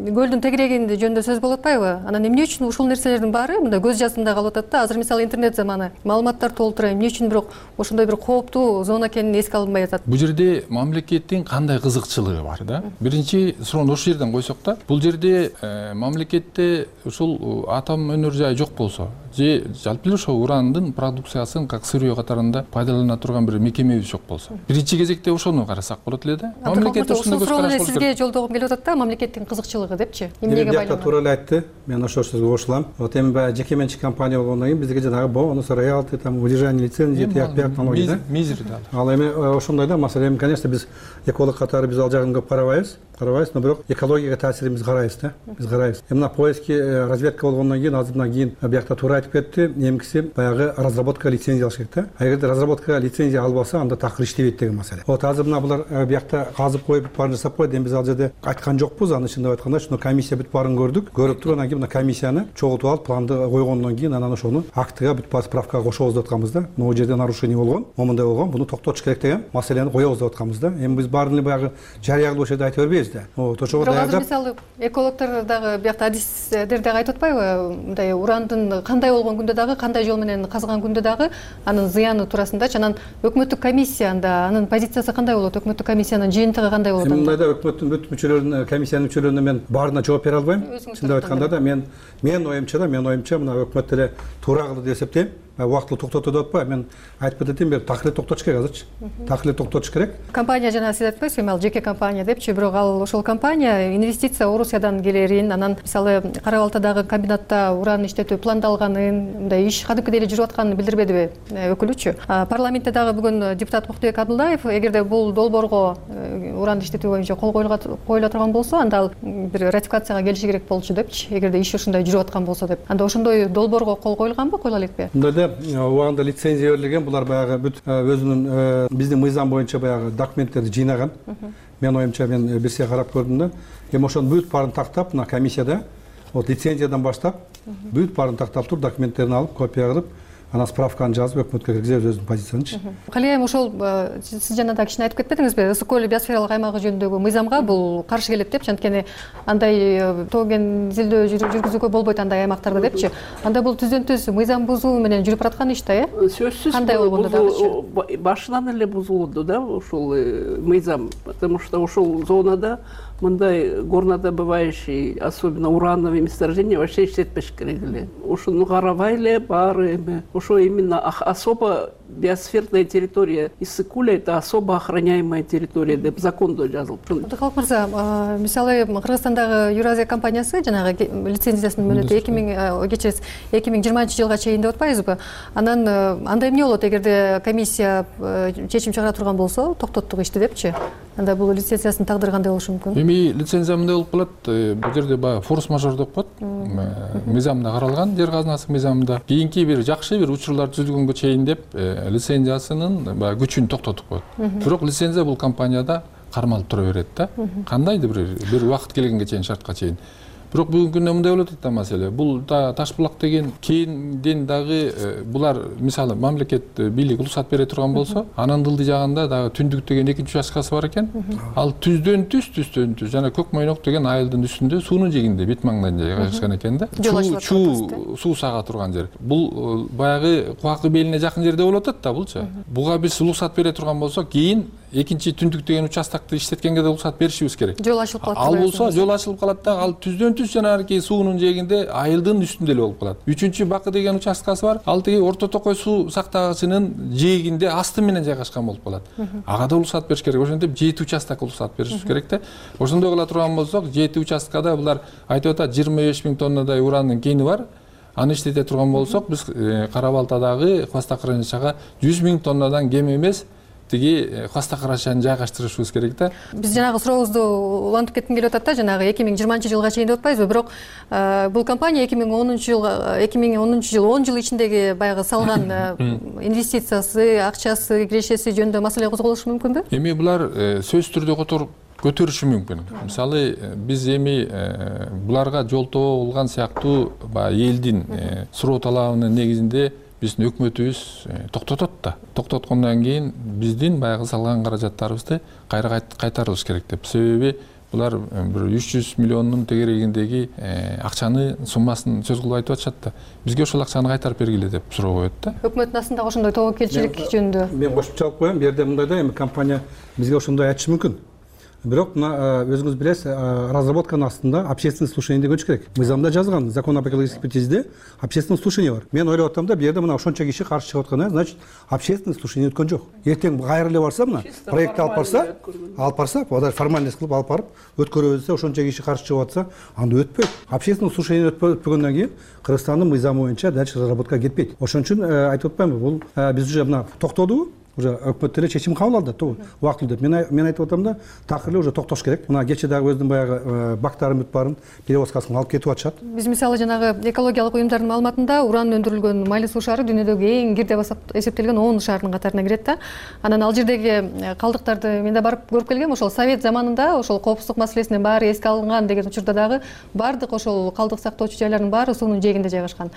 Speaker 20: көлдүн тегерегинде жөнүндө сөз болуп атпайбы? Анан эмне үчүн ушул нерселердин баары мындай көз жазымда калып атат да? Азыр мисалы интернет заманы, маалыматтар толтура, эмне үчүн бирок ошондой бир кооптуу зона экенин эске алынбай атат?
Speaker 22: Бул жерде мамлекеттин кандай кызыкчылыгы бар да? Биринчи суроону ошол жерден койсок да, бул жерде мамлекетте ушул атом өнөр жайы жок болсо, же жалпы эле ошол урандын продукциясын как сырье катарында пайдалана турган бир мекемебиз жок болсо, биринчи кезекте ошону карасак болот эле да.
Speaker 20: Мамлекет ошондой көз караш болот. Сизге жолдогум келип атат да, мамлекеттин кызыкчылыгы депчи. Эмнеге байланат?
Speaker 8: Туура эле айтты. Мен ошол сөзгө кошулам. Вот эми баягы жеке менчик компания болгондон кийин бизге жанагы бонус, роялти, там удержание лицензии, тияк бияк налоги да.
Speaker 22: Мизер да.
Speaker 8: Ал эми ошондой да, маселе, конечно, биз эколог катары биз ал жагын көп карабайбыз. карабайбыз, но бирок экологияга таасирин карайбыз да, биз карайбыз. Мына поиски разведка болгондон кийин азыр мына кийин биякта туура айтып кетти, эмкиси баягы разработка лицензия алыш керек да. А эгерде разработка лицензия албаса, анда такыр иштебейт деген маселе. Вот азыр мына булар биякта казып коюп бүт баарын жасап койду. Эми биз ал жерде айткан жокпуз, аны чындап айтканда, ушуну комиссия бүт баарын көрдүк. Көрүп туруп анан кийин мына комиссияны чогултуп алып, планды койгондон кийин анан ошону актыга бүт баары справкага кошобуз деп атканбыз да. Могу жерде нарушение болгон, момундай болгон, буну токтотуш керек деген маселени коебуз деп атканбыз да. Эми биз баарын эле баягы жарыя кылып ошол жерде айта бербейбиз. негизде ошого
Speaker 20: бирок азыр
Speaker 8: даярдап.
Speaker 20: мисалы экологдор дагы биякта адистер дагы айтып атпайбы, мындай урандын кандай болгон күндө дагы, кандай жол менен казган күндө дагы анын зыяны туурасындачы. Анан өкмөттүк комиссия анда анын позициясы кандай болот? Өкмөттүк комиссиянын жыйынтыгы кандай болот?
Speaker 8: Мындайда өкмөттүн бүт мүчөлөрүнүн, комиссиянын мүчөлөрүнө мен баарына жооп бере албайм. Чындап айтканда да мен мен оюмча да мен оюмча мына өкмөт деле туура кылды деп эсептейм. Убактылуу токтоту деп атпайбы, мен айтып кететим, бир такыр эле токтотуш керек азырчы. Такыр эле токтотуш керек.
Speaker 20: Компания жана сиз айтпайсызбы, эми ал жеке компания депчи, бирок ал ошол компания инвестиция Орусиядан келерин, анан мисалы Кара Балтадагы комбинатта уран иштетүү пландалганын, мындай иш кадимкидей эле жүрүп атканын билдирбедиби өкүлүчү? Парламентте дагы бүгүн депутат Муктубек Абдуллаев, эгерде бул долбоорго уран иштетүү боюнча кол коюла турган болсо, анда ал бир ратификацияга келиши керек болчу депчи, эгерде иш ушундай жүрүп аткан болсо деп. Анда ошондой долбоорго кол коюлганбы, коюла элекпи?
Speaker 8: Убагында лицензия берилген, булар баягы бүт өзүнүн биздин мыйзам боюнча баягы документтерди жыйнаган. Мен оюмча мен бир сия карап көрдүм да. Эми ошонун бүт баарын тактап, мына комиссияда вот лицензиядан баштап бүт баарын тактап туруп, документтерин алып, копия кылып, анан справканы жазып өкмөткө киргизебиз өзүнүн позициянычы.
Speaker 20: Калайым ошол сиз жана да кичине айтып кетпедиңизби? Ысык көл биосфералык аймагы жөнүндөгү мыйзамга бул каршы келет депчи, анткени андай тоо кен изилдөө жүргүзүүгө болбойт андай аймактарда депчи. Анда бул түздөн түз мыйзам бузуу менен жүрүп бараткан иш да, э?
Speaker 21: Сөзсүз
Speaker 20: кандай болгондо дагычы
Speaker 21: башынан эле бузулду да ушул мыйзам, потому что ушул зонада мындай горнодобывающий, особенно урановые месторождения вообще иштетпеш керек эле. Ушуну карабай эле баары эми ошо именно особо биосферная территория Ысык көл это особо охраняемая территория деп закондо жазылып.
Speaker 20: Абдыкалык мырза, мисалы Кыргызстандагы Юразия компаниясы жанагы лицензиясынын мөөнөтү эки миң кечиресиз эки миң жыйырманчы жылга чейин деп атпайбызбы? Анан анда эмне болот эгерде комиссия чечим чыгара турган болсо, токтоттук ишти депчи? Анда бул лицензиясын тагдыры кандай болушу мүмкүн?
Speaker 22: Эми лицензия мындай болуп калат, бул жерде баягы форс-мажор деп коет. Мыйзамда каралган, жер казынасы мыйзамында. Кийинки бир жакшы бир учурлар түзүлгөнгө чейин деп лицензиясынын баягы күчүн токтотуп коет. Бирок лицензия бул компанияда кармалып тура берет да. Кандайдыр бир бир убакыт келгенге чейин, шартка чейин. Бирок бүгүнкү күндө мындай болуп атат да маселе. Бул да Таш булак деген кийинден дагы булар мисалы мамлекет бийлик уруксат бере турган болсо, анын дылды жагында дагы Түндүк деген экинчи участкасы бар экен. Ал түздөн түз түздөн түз жана Көк Мойнок деген айылдын үстүндө суунун жигинде бит маңдайында жайгашкан экен да. Чуу суу сага турган жер. Бул баягы Кубакы белине жакын жерде болуп атат да булчу. Буга биз уруксат бере турган болсо, кийин экинчи Түндүк деген участокты иштеткенге да уруксат беришибиз керек.
Speaker 20: Жол ачылып калат.
Speaker 22: Ал болсо жол ачылып калат да, ал түздөн түз жанагы суунун жээгинде айылдын үстүндө эле болуп калат. Үчүнчү Бакы деген участкасы бар. Ал тиги Орто Токой суу сактагычынын жээгинде асты менен жайгашкан болуп калат. Ага да уруксат бериш керек. Ошентип жети участок уруксат беришибиз керек да. Ошондой кыла турган болсок, жети участкада булар айтып атат жыйырма беш миң тоннадай урандын кени бар. Аны иштете турган болсок, биз Кара Балтадагы хвостохранилищага жүз миң тоннадан кем эмес тиги хвостохранилищаны жайгаштырышыбыз керек да.
Speaker 20: Биз жанагы сурообузду улантып кетким келип атат да, жанагы эки миң жыйырманчы жылга чейин деп атпайбызбы? Бирок бул компания эки миң онунчу жылга эки миң онунчу жыл он жыл ичиндеги баягы салган инвестициясы, акчасы, кирешеси жөнүндө маселе козголушу мүмкүнбү?
Speaker 22: Эми булар сөзсүз түрдө которуп көтөрүшү мүмкүн. Мисалы биз эми буларга жолтоо болгон сыяктуу баягы элдин суроо талабынын негизинде биздин өкмөтүбүз токтотот да. Токтоткондон кийин биздин баягы салган каражаттарыбызды кайра кайтарылыш керек деп. Себеби булар бир үч жүз миллиондун тегерегиндеги акчаны суммасын сөз кылып айтып атышат да. Бизге ошол акчаны кайтарып бергиле деп суроо коет да.
Speaker 20: Өкмөттүн астында ошондой тобокелчилик жөнүндө.
Speaker 8: Мен кошумча алып коем. Бу жерде мындай да, эми компания бизге ошондой айтышы мүмкүн. Бирок мына өзүңүз билесиз, разработканын астында общественный слушание деп өчү керек. Мыйзамда жазылган, закон об экологической экспертизе общественный слушание бар. Мен ойлоп атам да, бу жерде мына ошончо киши каршы чыгып аткан, значит, общественный слушание өткөн жок. Эртең кайра эле барса, мына проектти алып барса, алып барса, даже формальность кылып алып барып өткөрөбүз десе, ошончо киши каршы чыгып атса, анда өтпөйт. Общественный слушание өтпөгөндөн кийин Кыргызстандын мыйзамы боюнча дальше разработка кетпейт. Ошон үчүн айтып атпаймынбы, бул биз уже мына токтодубу? Уже өкмөт деле чечим кабыл алды, убактылуу деп. Мен мен айтып атам да, такыр эле уже токтош керек. Мына кече дагы өзүнүн баягы бактарын бүт баарын перевозкасын алып кетип атышат.
Speaker 20: Биз мисалы жанагы экологиялык уюмдардын маалыматында уран өндүрүлгөн Майлы суу шаары дүйнөдөгү эң кир деп эсептелген он шаардын катарына кирет да. Анан ал жердеги калдыктарды мен да барып көрүп келгем. Ошол совет заманында ошол коопсуздук маселесинен баары эске алынган деген учурда дагы бардык ошол калдык сактоочу жайлардын баары суунун жээгинде жайгашкан.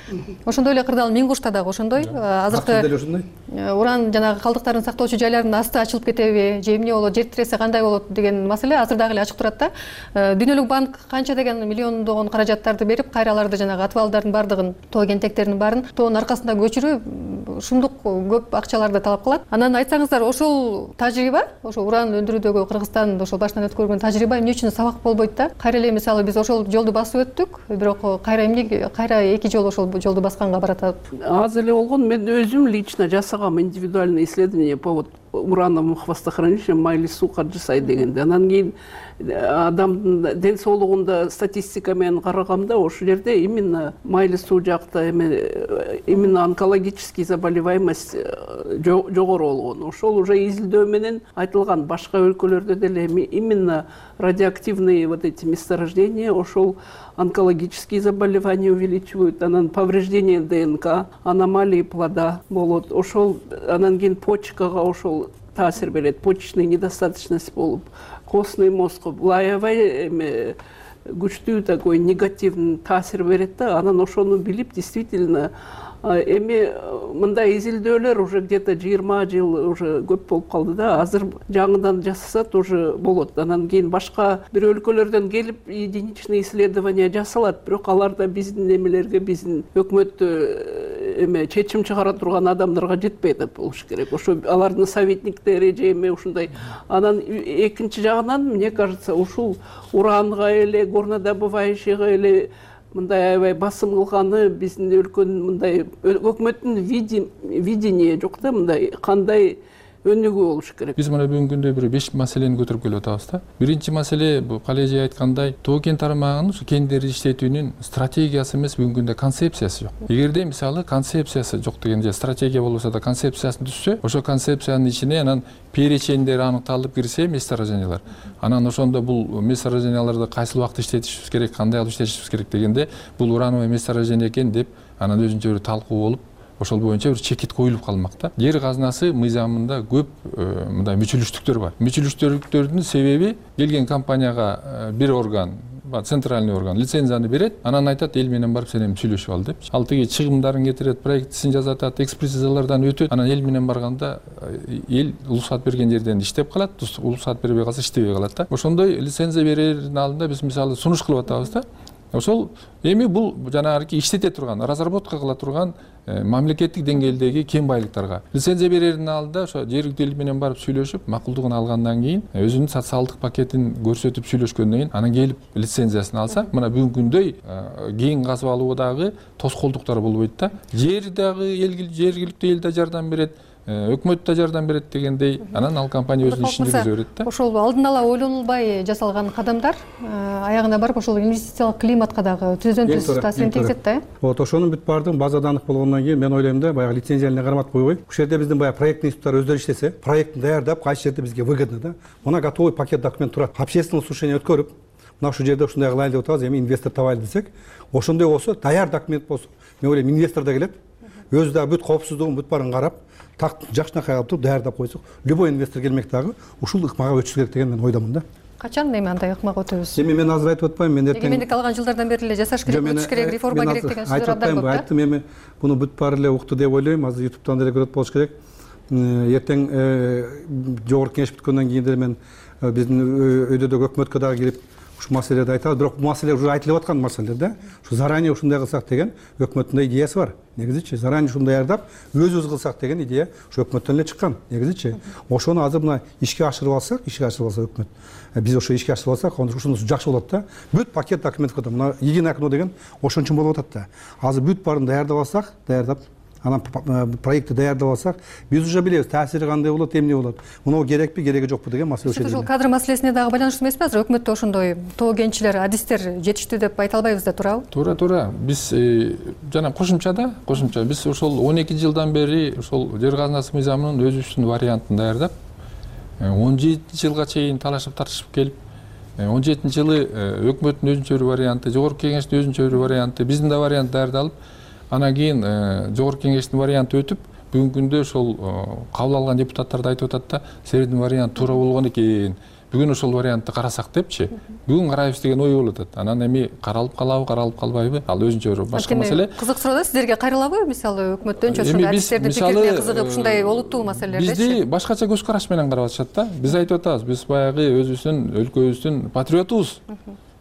Speaker 20: Ошондой эле Кырдаал Миң Кушта дагы ошондой. Азыркы уран жанагы калдыктар жарыктарын сактоочу жайлардын асты ачылып кетеби же эмне болот, жер тиресе кандай болот деген маселе азыр дагы эле ачык турат да. Дүйнөлүк банк канча деген миллиондогон каражаттарды берип, кайраларды жанагы атыбалдардын баардыгын, тоо кентектердин баарын тоонун аркасында көчүрүү ушундук көп акчаларды талап кылат. Анан айтсаңыздар, ошол тажрыйба, ошо уран өндүрүүдөгү Кыргызстан ошол башынан өткөргөн тажрыйба эмне үчүн сабак болбойт да? Кайра эле мисалы биз ошол жолду басып өттүк, бирок кайра эмне кайра эки жолу ошол жолду басканга баратат?
Speaker 21: Аз эле болгон, мен өзүм лично жасагам индивидуальное исследование по вот урановому хвостохранилищу майлы суу каржысай дегенде. Анан кийин адамдын ден соолугунда статистика менен караганда ошол жерде именно майлы суу жакта эме именно онкологический заболеваемость жогору болгон. Ошол уже изилдөө менен айтылган. Башка өлкөлөрдө деле именно радиоактивные вот эти месторождения ошол онкологические заболевания увеличивают, анан повреждение ДНК, аномалии плода болот. Ошол анан кийин почкага ошол таасир берет, почечная недостаточность болуп, костный мозг лаевай эме күчтүү такой негативный таасир берет да. Анан ошону билип действительно эми мындай изилдөөлөр уже где-то жыйырма жыл уже көп болуп калды да. Азыр жаңыдан жасаса тоже болот. Анан кийин башка бир өлкөлөрдөн келип единичный исследование жасалат, бирок аларда биздин эмелерге, биздин өкмөттө эме чечим чыгара турган адамдарга жетпей атат болуш керек. Ошо алардын советниктери же эме ушундай. Анан экинчи жагынан, мне кажется, ушул уранга эле, горнодобывающийга эле мындай аябай басым кылганы биздин өлкөнүн мындай өкмөттүн видение жок да, мындай кандай өнүгүү болуш керек.
Speaker 22: Биз мына бүгүнкү күндө бир беш маселени көтөрүп келип атабыз да. Биринчи маселе, бул Калай эже айткандай, тоо кен тармагынын ушу кендерди иштетүүнүн стратегиясы эмес, бүгүнкү күндө концепциясы жок. Эгерде мисалы концепциясы жок деген же стратегия болбосо да концепциясын түзсө, ошо концепциянын ичине анан перечендери аныкталып кирсе месторождениялар. Анан ошондо бул месторожденияларды кайсыл убакта иштетишибиз керек, кандай кылып иштетишибиз керек дегенде, бул урановый месторождение экен деп анан өзүнчө бир талкуу болуп, ошол боюнча бир чекит коюлуп калмак да. Жер казынасы мыйзамында көп мындай мүчүлүштүктөр бар. Мүчүлүштүктөрдүн себеби келген компанияга бир орган, центральный орган лицензияны берет, анан айтат, эл менен барып сен эми сүйлөшүп ал деп. Ал тиги чыгымдарын кетирет, проектисин жазатат, экспертизалардан өтөт. Анан эл менен барганда эл уруксат берген жерден иштеп калат, уруксат бербей калса иштебей калат да. Ошондой лицензия берердин алдында биз мисалы сунуш кылып атабыз да. Ошол эми бул жанагы иштете турган, разработка кыла турган мамлекеттик деңгээлдеги кен байлыктарга лицензия берердин алдында ошо жергиликтүү эл менен барып сүйлөшүп, макулдугун алгандан кийин, өзүнүн социалдык пакетин көрсөтүп сүйлөшкөндөн кийин анан келип лицензиясын алса, мына бүгүнкү күндөй кен казып алуудагы тоскоолдуктар болбойт да. Жер дагы жергиликтүү эл да жардам берет, өкмөт да жардам берет дегендей, анан ал компания өзүнүн ишин жүргүзө берет да.
Speaker 20: Ошол алдын ала ойлонулбай жасалган кадамдар аягында барып ошол инвестициялык климатка дагы түздөн түз таасирин тийгизет да.
Speaker 8: Вот ошонун бүт баардыгын базада анык болгондон кийин мен ойлойм да, баягы лицензияны карматып койбой, ушул жерде биздин баягы проектный институттар өздөрү иштесе, проектин даярдап, кайсы жерде бизге выгодно да. Мына готовый пакет документ турат. Общественное слушание өткөрүп, мына ушул жерде ушундай кылайлы деп атабыз, эми инвестор табайлы десек, ошондой болсо, даяр документ болсо, мен ойлойм инвестор да келет, өзү дагы бүт коопсуздугун бүт баарын карап, так жакшынакай кылып туруп даярдап койсок, любой инвестор келмек дагы ушул ыкмага өтүш керек деген мен ойдомун да.
Speaker 20: Качан эми андай ыкмага өтөбүз?
Speaker 8: Эми мен азыр айтып атпайм, мен эртең
Speaker 20: эгемендик алган жылдардан бери эле жасаш керек, өтүш керек, реформа керек деген сөздөр абдан көп да.
Speaker 8: Айттым, эми буну бүт баары эле укту деп ойлойм, азыр ютубтан деле көрөт болуш керек. Эртең жогорку кеңеш бүткөндөн кийин деле мен биздин өйдөдөгү өкмөткө дагы кирип ушул маселелерди айтабыз, бирок бул маселе уже айтылып аткан маселелер да. Ушу заранее ушундай кылсак деген өкмөттүн идеясы бар. Негизичи заранее ушундай даярдап, өзүбүз кылсак деген идея ушу өкмөттөн эле чыккан. Негизичи ошону азыр мына ишке ашырып алсак, ишке ашырып алса өкмөт, биз ошо ишке ашырып алсак, ушунусу жакшы болот да. Бүт пакет документ кылды. Мына единое окно деген ошон үчүн болуп атат да. Азыр бүт баарын даярдап алсак, даярдап анан проектти даярдап алсак, биз уже билебиз таасири кандай болот, эмне болот. Муну керекпи, кереги жокпу деген маселе ошол.
Speaker 20: Ушул кадр маселесине дагы байланыштуу эмеспи? Азыр өкмөттө ошондой тоо кенчилер, адистер жетиштүү деп айта албайбыз да, туурабы?
Speaker 22: Туура, туура. Биз жана кошумчада, кошумча биз ошол он эки жылдан бери ошол жер казынасы мыйзамынын өзүбүздүн вариантын даярдап, он жетинчи жылга чейин талашып тартышып келип, он жетинчи жылы өкмөттүн өзүнчө бир варианты, жогорку кеңештин өзүнчө бир варианты, биздин да вариант даярдалып, анан кийин жогорку кеңештин варианты өтүп, бүгүнкү күндө ошол кабыл алган депутаттар да айтып атат да, силердин вариант туура болгон экен, бүгүн ошол вариантты карасак депчи, бүгүн карайбыз деген ой болуп атат. Анан эми каралып калабы, каралып калбайбы, ал өзүнчө бир башка маселе.
Speaker 20: Кызык суроо да, сиздерге кайрылабы? Мисалы өкмөттөнчү ушундай адистердин пикирине кызыгып ушундай олуттуу маселелердечи?
Speaker 22: Бизди башкача көз караш менен карап атышат да. Биз айтып атабыз, биз баягы өзүбүздүн өлкөбүздүн патриотубуз.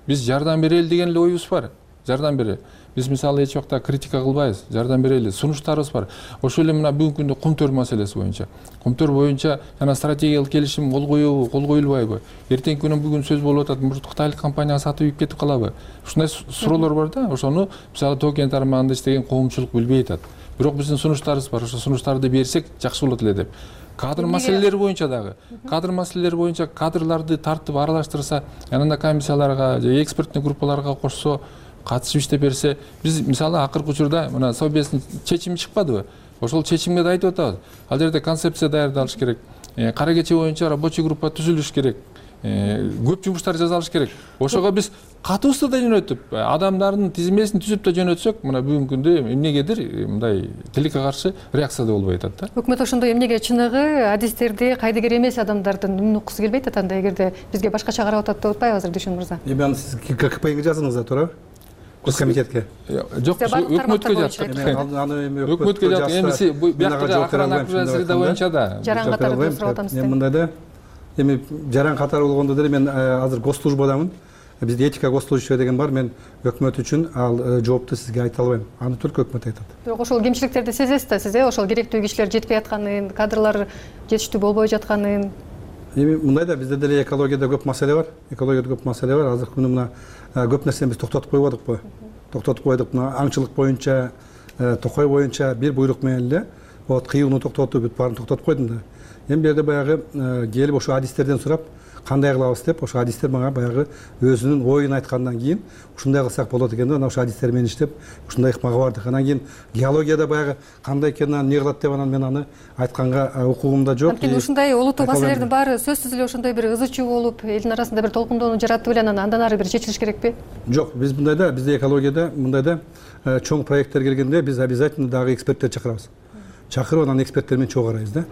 Speaker 22: Биз жардам берели деген эле оюбуз бар. Жардам берели. Биз мисалы эч убакта критика кылбайбыз, жардам берели. Сунуштарыбыз бар. Ошол эле мына бүгүнкү күндө Кумтөр маселеси боюнча. Кумтөр боюнча жана стратегиялык келишим кол коюбу, кол коюлбайбы? Эртеңки күнү бүгүн сөз болуп атат, мурдут кытайлык компанияга сатып ийип кетип калабы? Ушундай суроолор бар да. Ошону мисалы Тоо кен тармагында иштеген коомчулук билбей атат. Бирок биздин сунуштарыбыз бар. Ошо сунуштарды берсек жакшы болот эле деп. Кадр маселелери боюнча дагы, кадр маселелери боюнча кадрларды тартып аралаштырса, анан комиссияларга же эксперттик группаларга кошсо, катышып иштеп берсе, биз мисалы акыркы учурда мына Совбездин чечими чыкпадыбы? Ошол чечимге да айтып атабыз. Ал жерде концепция даярдалыш керек. Кара кече боюнча рабочий группа түзүлүш керек. Көп жумуштар жасалыш керек. Ошого биз катуусу да жөнөтүп, адамдардын тизмесин түзүп да жөнөтсөк, мына бүгүнкү күндө эмнегедир мындай тилекке каршы реакция да болбой атат да.
Speaker 20: Өкмөт ошондой эмнеге чыныгы адистерди кайдыгер эмес адамдардын үнүн уккусу келбейт атат, анда эгерде бизге башкача карап атат деп атпайбы азыр Дүйшөн мырза? Эми
Speaker 8: аны сиз ККПге жазыңыз да, туурабы? Көз комитетке.
Speaker 22: Жок, өкмөткө жаздык.
Speaker 8: Аны эми
Speaker 22: өкмөткө жаздык. Эми бияктагы акыран акырасы боюнча да.
Speaker 20: Жаран катары сурап атам сизден.
Speaker 8: Мындай да, эми жаран катары болгондо деле мен азыр госслужбадамын. Бизде этика госслужащий деген бар. Мен өкмөт үчүн ал жоопту сизге айта албайм. Аны только өкмөт айтат.
Speaker 20: Бирок ошол кемчиликтерди сезесиз да сиз, ошол керектүү кишилер жетпей атканын, кадрлар жетиштүү болбой жатканын.
Speaker 8: Эми мындай да, бизде деле экологияда көп маселе бар. Экологияда көп маселе бар. Азыркы күнү мына көп нерсени биз токтотуп койбодукпу? Токтотуп койдук. Мына аңчылык боюнча, токой боюнча бир буйрук менен эле вот кыюуну токтотуп, бүт баарын токтотуп койдум да. Эми бул жерде баягы келип ошо адистерден сурап, кандай кылабыз деп, ошо адистер мага баягы өзүнүн оюн айткандан кийин ушундай кылсак болот экен да, анан ошо адистер менен иштеп, ушундай ыкмага бардык. Анан кийин геологияда баягы кандай экенин, эмне кылат деп анан мен аны айтканга укугум да жок.
Speaker 20: Анткени ушундай олуттуу маселелердин баары сөзсүз эле ошондой бир ызы чуу болуп, элдин арасында бир толкундоону жаратып эле анан андан ары бир чечилиш керекпи?
Speaker 8: Жок, биз мындай да, бизде экологияда мындай да чоң проекттер келгенде биз обязательно дагы эксперттер чакырабыз. Чакырып анан эксперттер менен чогуу карайбыз да.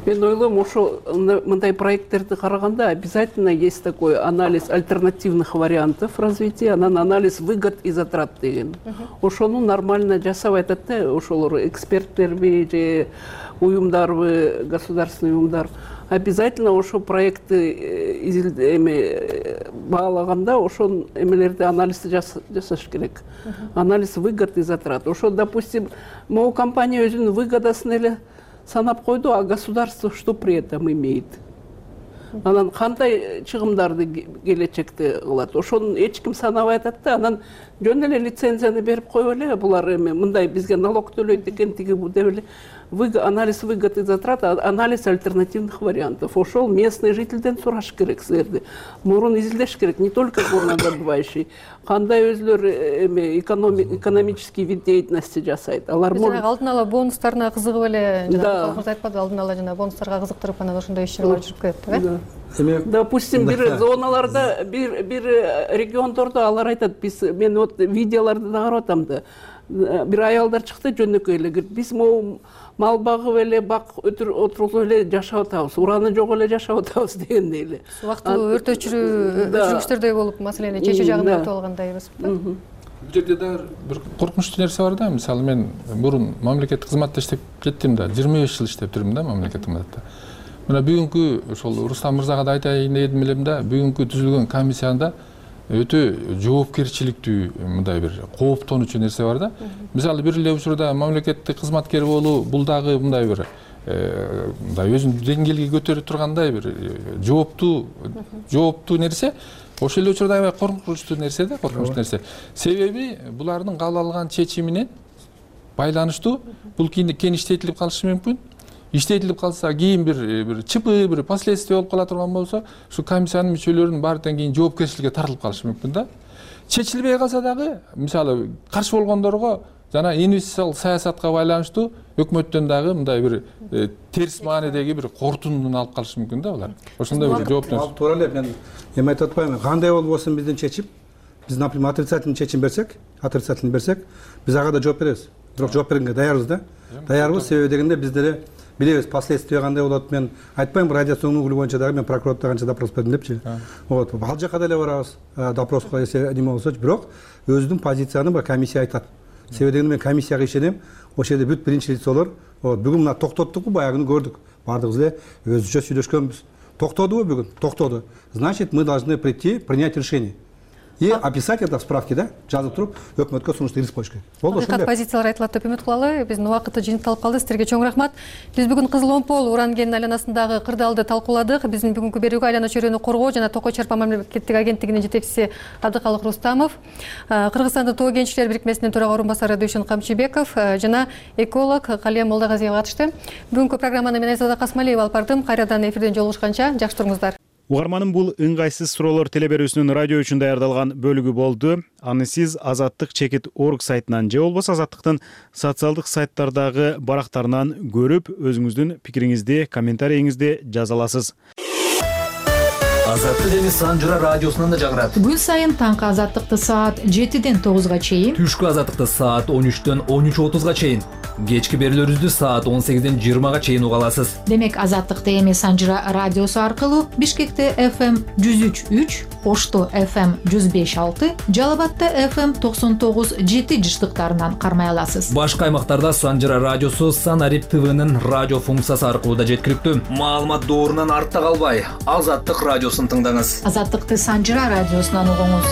Speaker 21: Мен ойлойм, ошо мындай проекттерди караганда обязательно есть такой анализ альтернативных вариантов развития, анан анализ выгод и затрат деген. Ошону нормально жасап айтат да, ошолор эксперттерби же уюмдарбы, государственный уюмдар. Обязательно ошо проектти эме баалаганда ошол эмелерди анализди жасаш керек. Анализ выгод и затрат. Ошо, допустим, могу компания өзүнүн выгодасын эле санап койду, а государство что при этом имеет? Анан кандай чыгымдарды келечекте кылат? Ошону эч ким санабай атат да, анан жөн эле лицензияны берип коюп эле, булар эми мындай бизге налог төлөйт экен, тиги бу деп эле. Анализ выгод и затрат, анализ альтернативных вариантов. Ошол местный жительден сураш керек силерди. Мурун изилдеш керек, не только горнодобывающий. Кандай өзлөр эме экономический вид деятельности жасайт. Алар
Speaker 20: алдын ала бонустарына кызыгып эле, жана калкыбыз айтпады, алдын ала жана бонустарга кызыктырып анан ошондой иш-чаралар жүрүп кетет, э?
Speaker 21: Допустим, бир зоналарда, бир бир региондордо алар айтат, биз мен вот видеолорду да карап атам да. Бир аялдар чыкты жөнөкөй эле, биз могу мал багып эле, бак отурулуп эле жашап атабыз, ураны жок эле жашап атабыз дегендей эле.
Speaker 20: Убактылуу өртөчүрүү жүргүчтөрдөй болуп маселени чечүү жагында өтүп алгандайбыз.
Speaker 22: Бул жерде дагы бир коркунучтуу нерсе бар да. Мисалы мен мурун мамлекеттик кызматта иштеп кеттим да, жыйырма беш жыл иштеп жүрдүм да мамлекеттик кызматта. Мына бүгүнкү ошол Рустам мырзага да айтайын дедим элем да, бүгүнкү түзүлгөн комиссияда өтө жоопкерчиликтүү мындай бир кооптонуучу нерсе бар да. Мисалы бир эле учурда мамлекеттик кызматкер болуу бул дагы мындай бир мындай өзүн деңгээлге көтөрүп тургандай бир жооптуу жооптуу нерсе. Ошол эле учурда аябай коркунучтуу нерсе да, коркунучтуу нерсе. Себеби булардын кабыл алган чечимине байланыштуу бул кийин иштетилип калышы мүмкүн. Иштетилип калса кийин бир бир чыпы, бир последствия болуп кала турган болсо, ушу комиссиянын мүчөлөрүнүн баардыгынан кийин жоопкерчиликке тартылып калышы мүмкүн да. Чечилбей калса дагы, мисалы каршы болгондорго жана инвестициялык саясатка байланыштуу өкмөттөн дагы мындай бир терс маанидеги бир кортунун алып калышы мүмкүн да булар. Ошондой бир жооптун.
Speaker 8: Туура эле, мен эми айтып атпаймынбы, кандай болбосун бизден чечип, биз, например, отрицательный чечим берсек, отрицательный берсек, биз ага да жооп беребиз. Бирок жооп бергенге даярбыз да. Даярбыз, себеби дегенде биз деле билебиз последствия кандай болот. Мен айтпайм, радиационный уголь боюнча дагы мен прокуратурага канча допрос бердим депчи. Вот ал жака деле барабыз допроско, эсе неме болсочу, бирок өзүнүн позицияны бир комиссия айтат. Себеби дегенде мен комиссияга ишенем. Ошол жерде бүт биринчи лицолор бүгүн мына токтоттук, баягыны көрдүк. Бардыгыбыз эле өзүнчө сүйлөшкөнбүз. Токтодубу бүгүн? Токтоду. Значит, мы должны прийти, принять решение. И описать это в справке, да, жазып туруп, өкмөткө сунушту киргизип коюш керек. Болду, ошондой.
Speaker 20: Позициялар айтылат деп үмүт кылалы. Биздин убакыты жыйынтыкталып калды. Силерге чоң рахмат. Биз бүгүн Кызыл Омпол уран кенинин айланасындагы кырдаалды талкууладык. Биздин бүгүнкү берүүгө айлана чөйрөнү коргоо жана токой чарпа мамлекеттик агенттигинин жетекчиси Абдыкалык Рустамов, Кыргызстандын тоо кенчилер бирикмесинин төрага орун басары Дүйшөн Камчыбеков жана эколог Калия Молдагазиева катышты. Бүгүнкү программаны мен Айзада Касмалиева алып бардым. Кайрадан эфирден жолугушканча жакшы туруңуздар.
Speaker 1: Угарманым, бул ыңгайсыз суроолор телеберүүсүнүн радио үчүн даярдалган бөлүгү болду. Аны сиз Азаттык чекит орг сайтынан же болбосо Азаттыктын социалдык сайттардагы барактарынан көрүп, өзүңүздүн пикириңизди, комментарийиңизди жаза аласыз.
Speaker 3: Азаттык эми Санжыра радиосунан да жагырат.
Speaker 7: Күн сайын таңкы Азаттыкты саат жетиден тогузга чейин,
Speaker 3: түшкү Азаттыкты саат он үчтөн он үч отузга чейин, кечки берүүлөрүбүздү саат он сегизден жыйырмага чейин уга аласыз.
Speaker 7: Демек Азаттыкты эми Санжыра радиосу аркылуу Бишкекте эф эм жүз үч үч, Ошто эф эм жүз беш алты, Жалал Абадта эф эм токсон тогуз жети жыштыктарынан кармай аласыз.
Speaker 3: Башка аймактарда Санжыра радиосу Санарип ТВнын радио функциясы аркылуу да жеткиликтүү. Маалымат доорунан артта калбай, Азаттык радиосун тыңдаңыз.
Speaker 7: Азаттыкты Санжыра радиосунан угуңуз.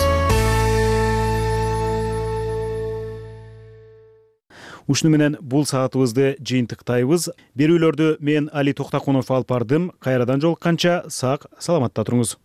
Speaker 1: Ушуну менен бул саатыбызды жыйынтыктайбыз. Берүүлөрдү мен Али Токтакунов алып бардым. Кайрадан жолукканча сак саламатта туруңуз.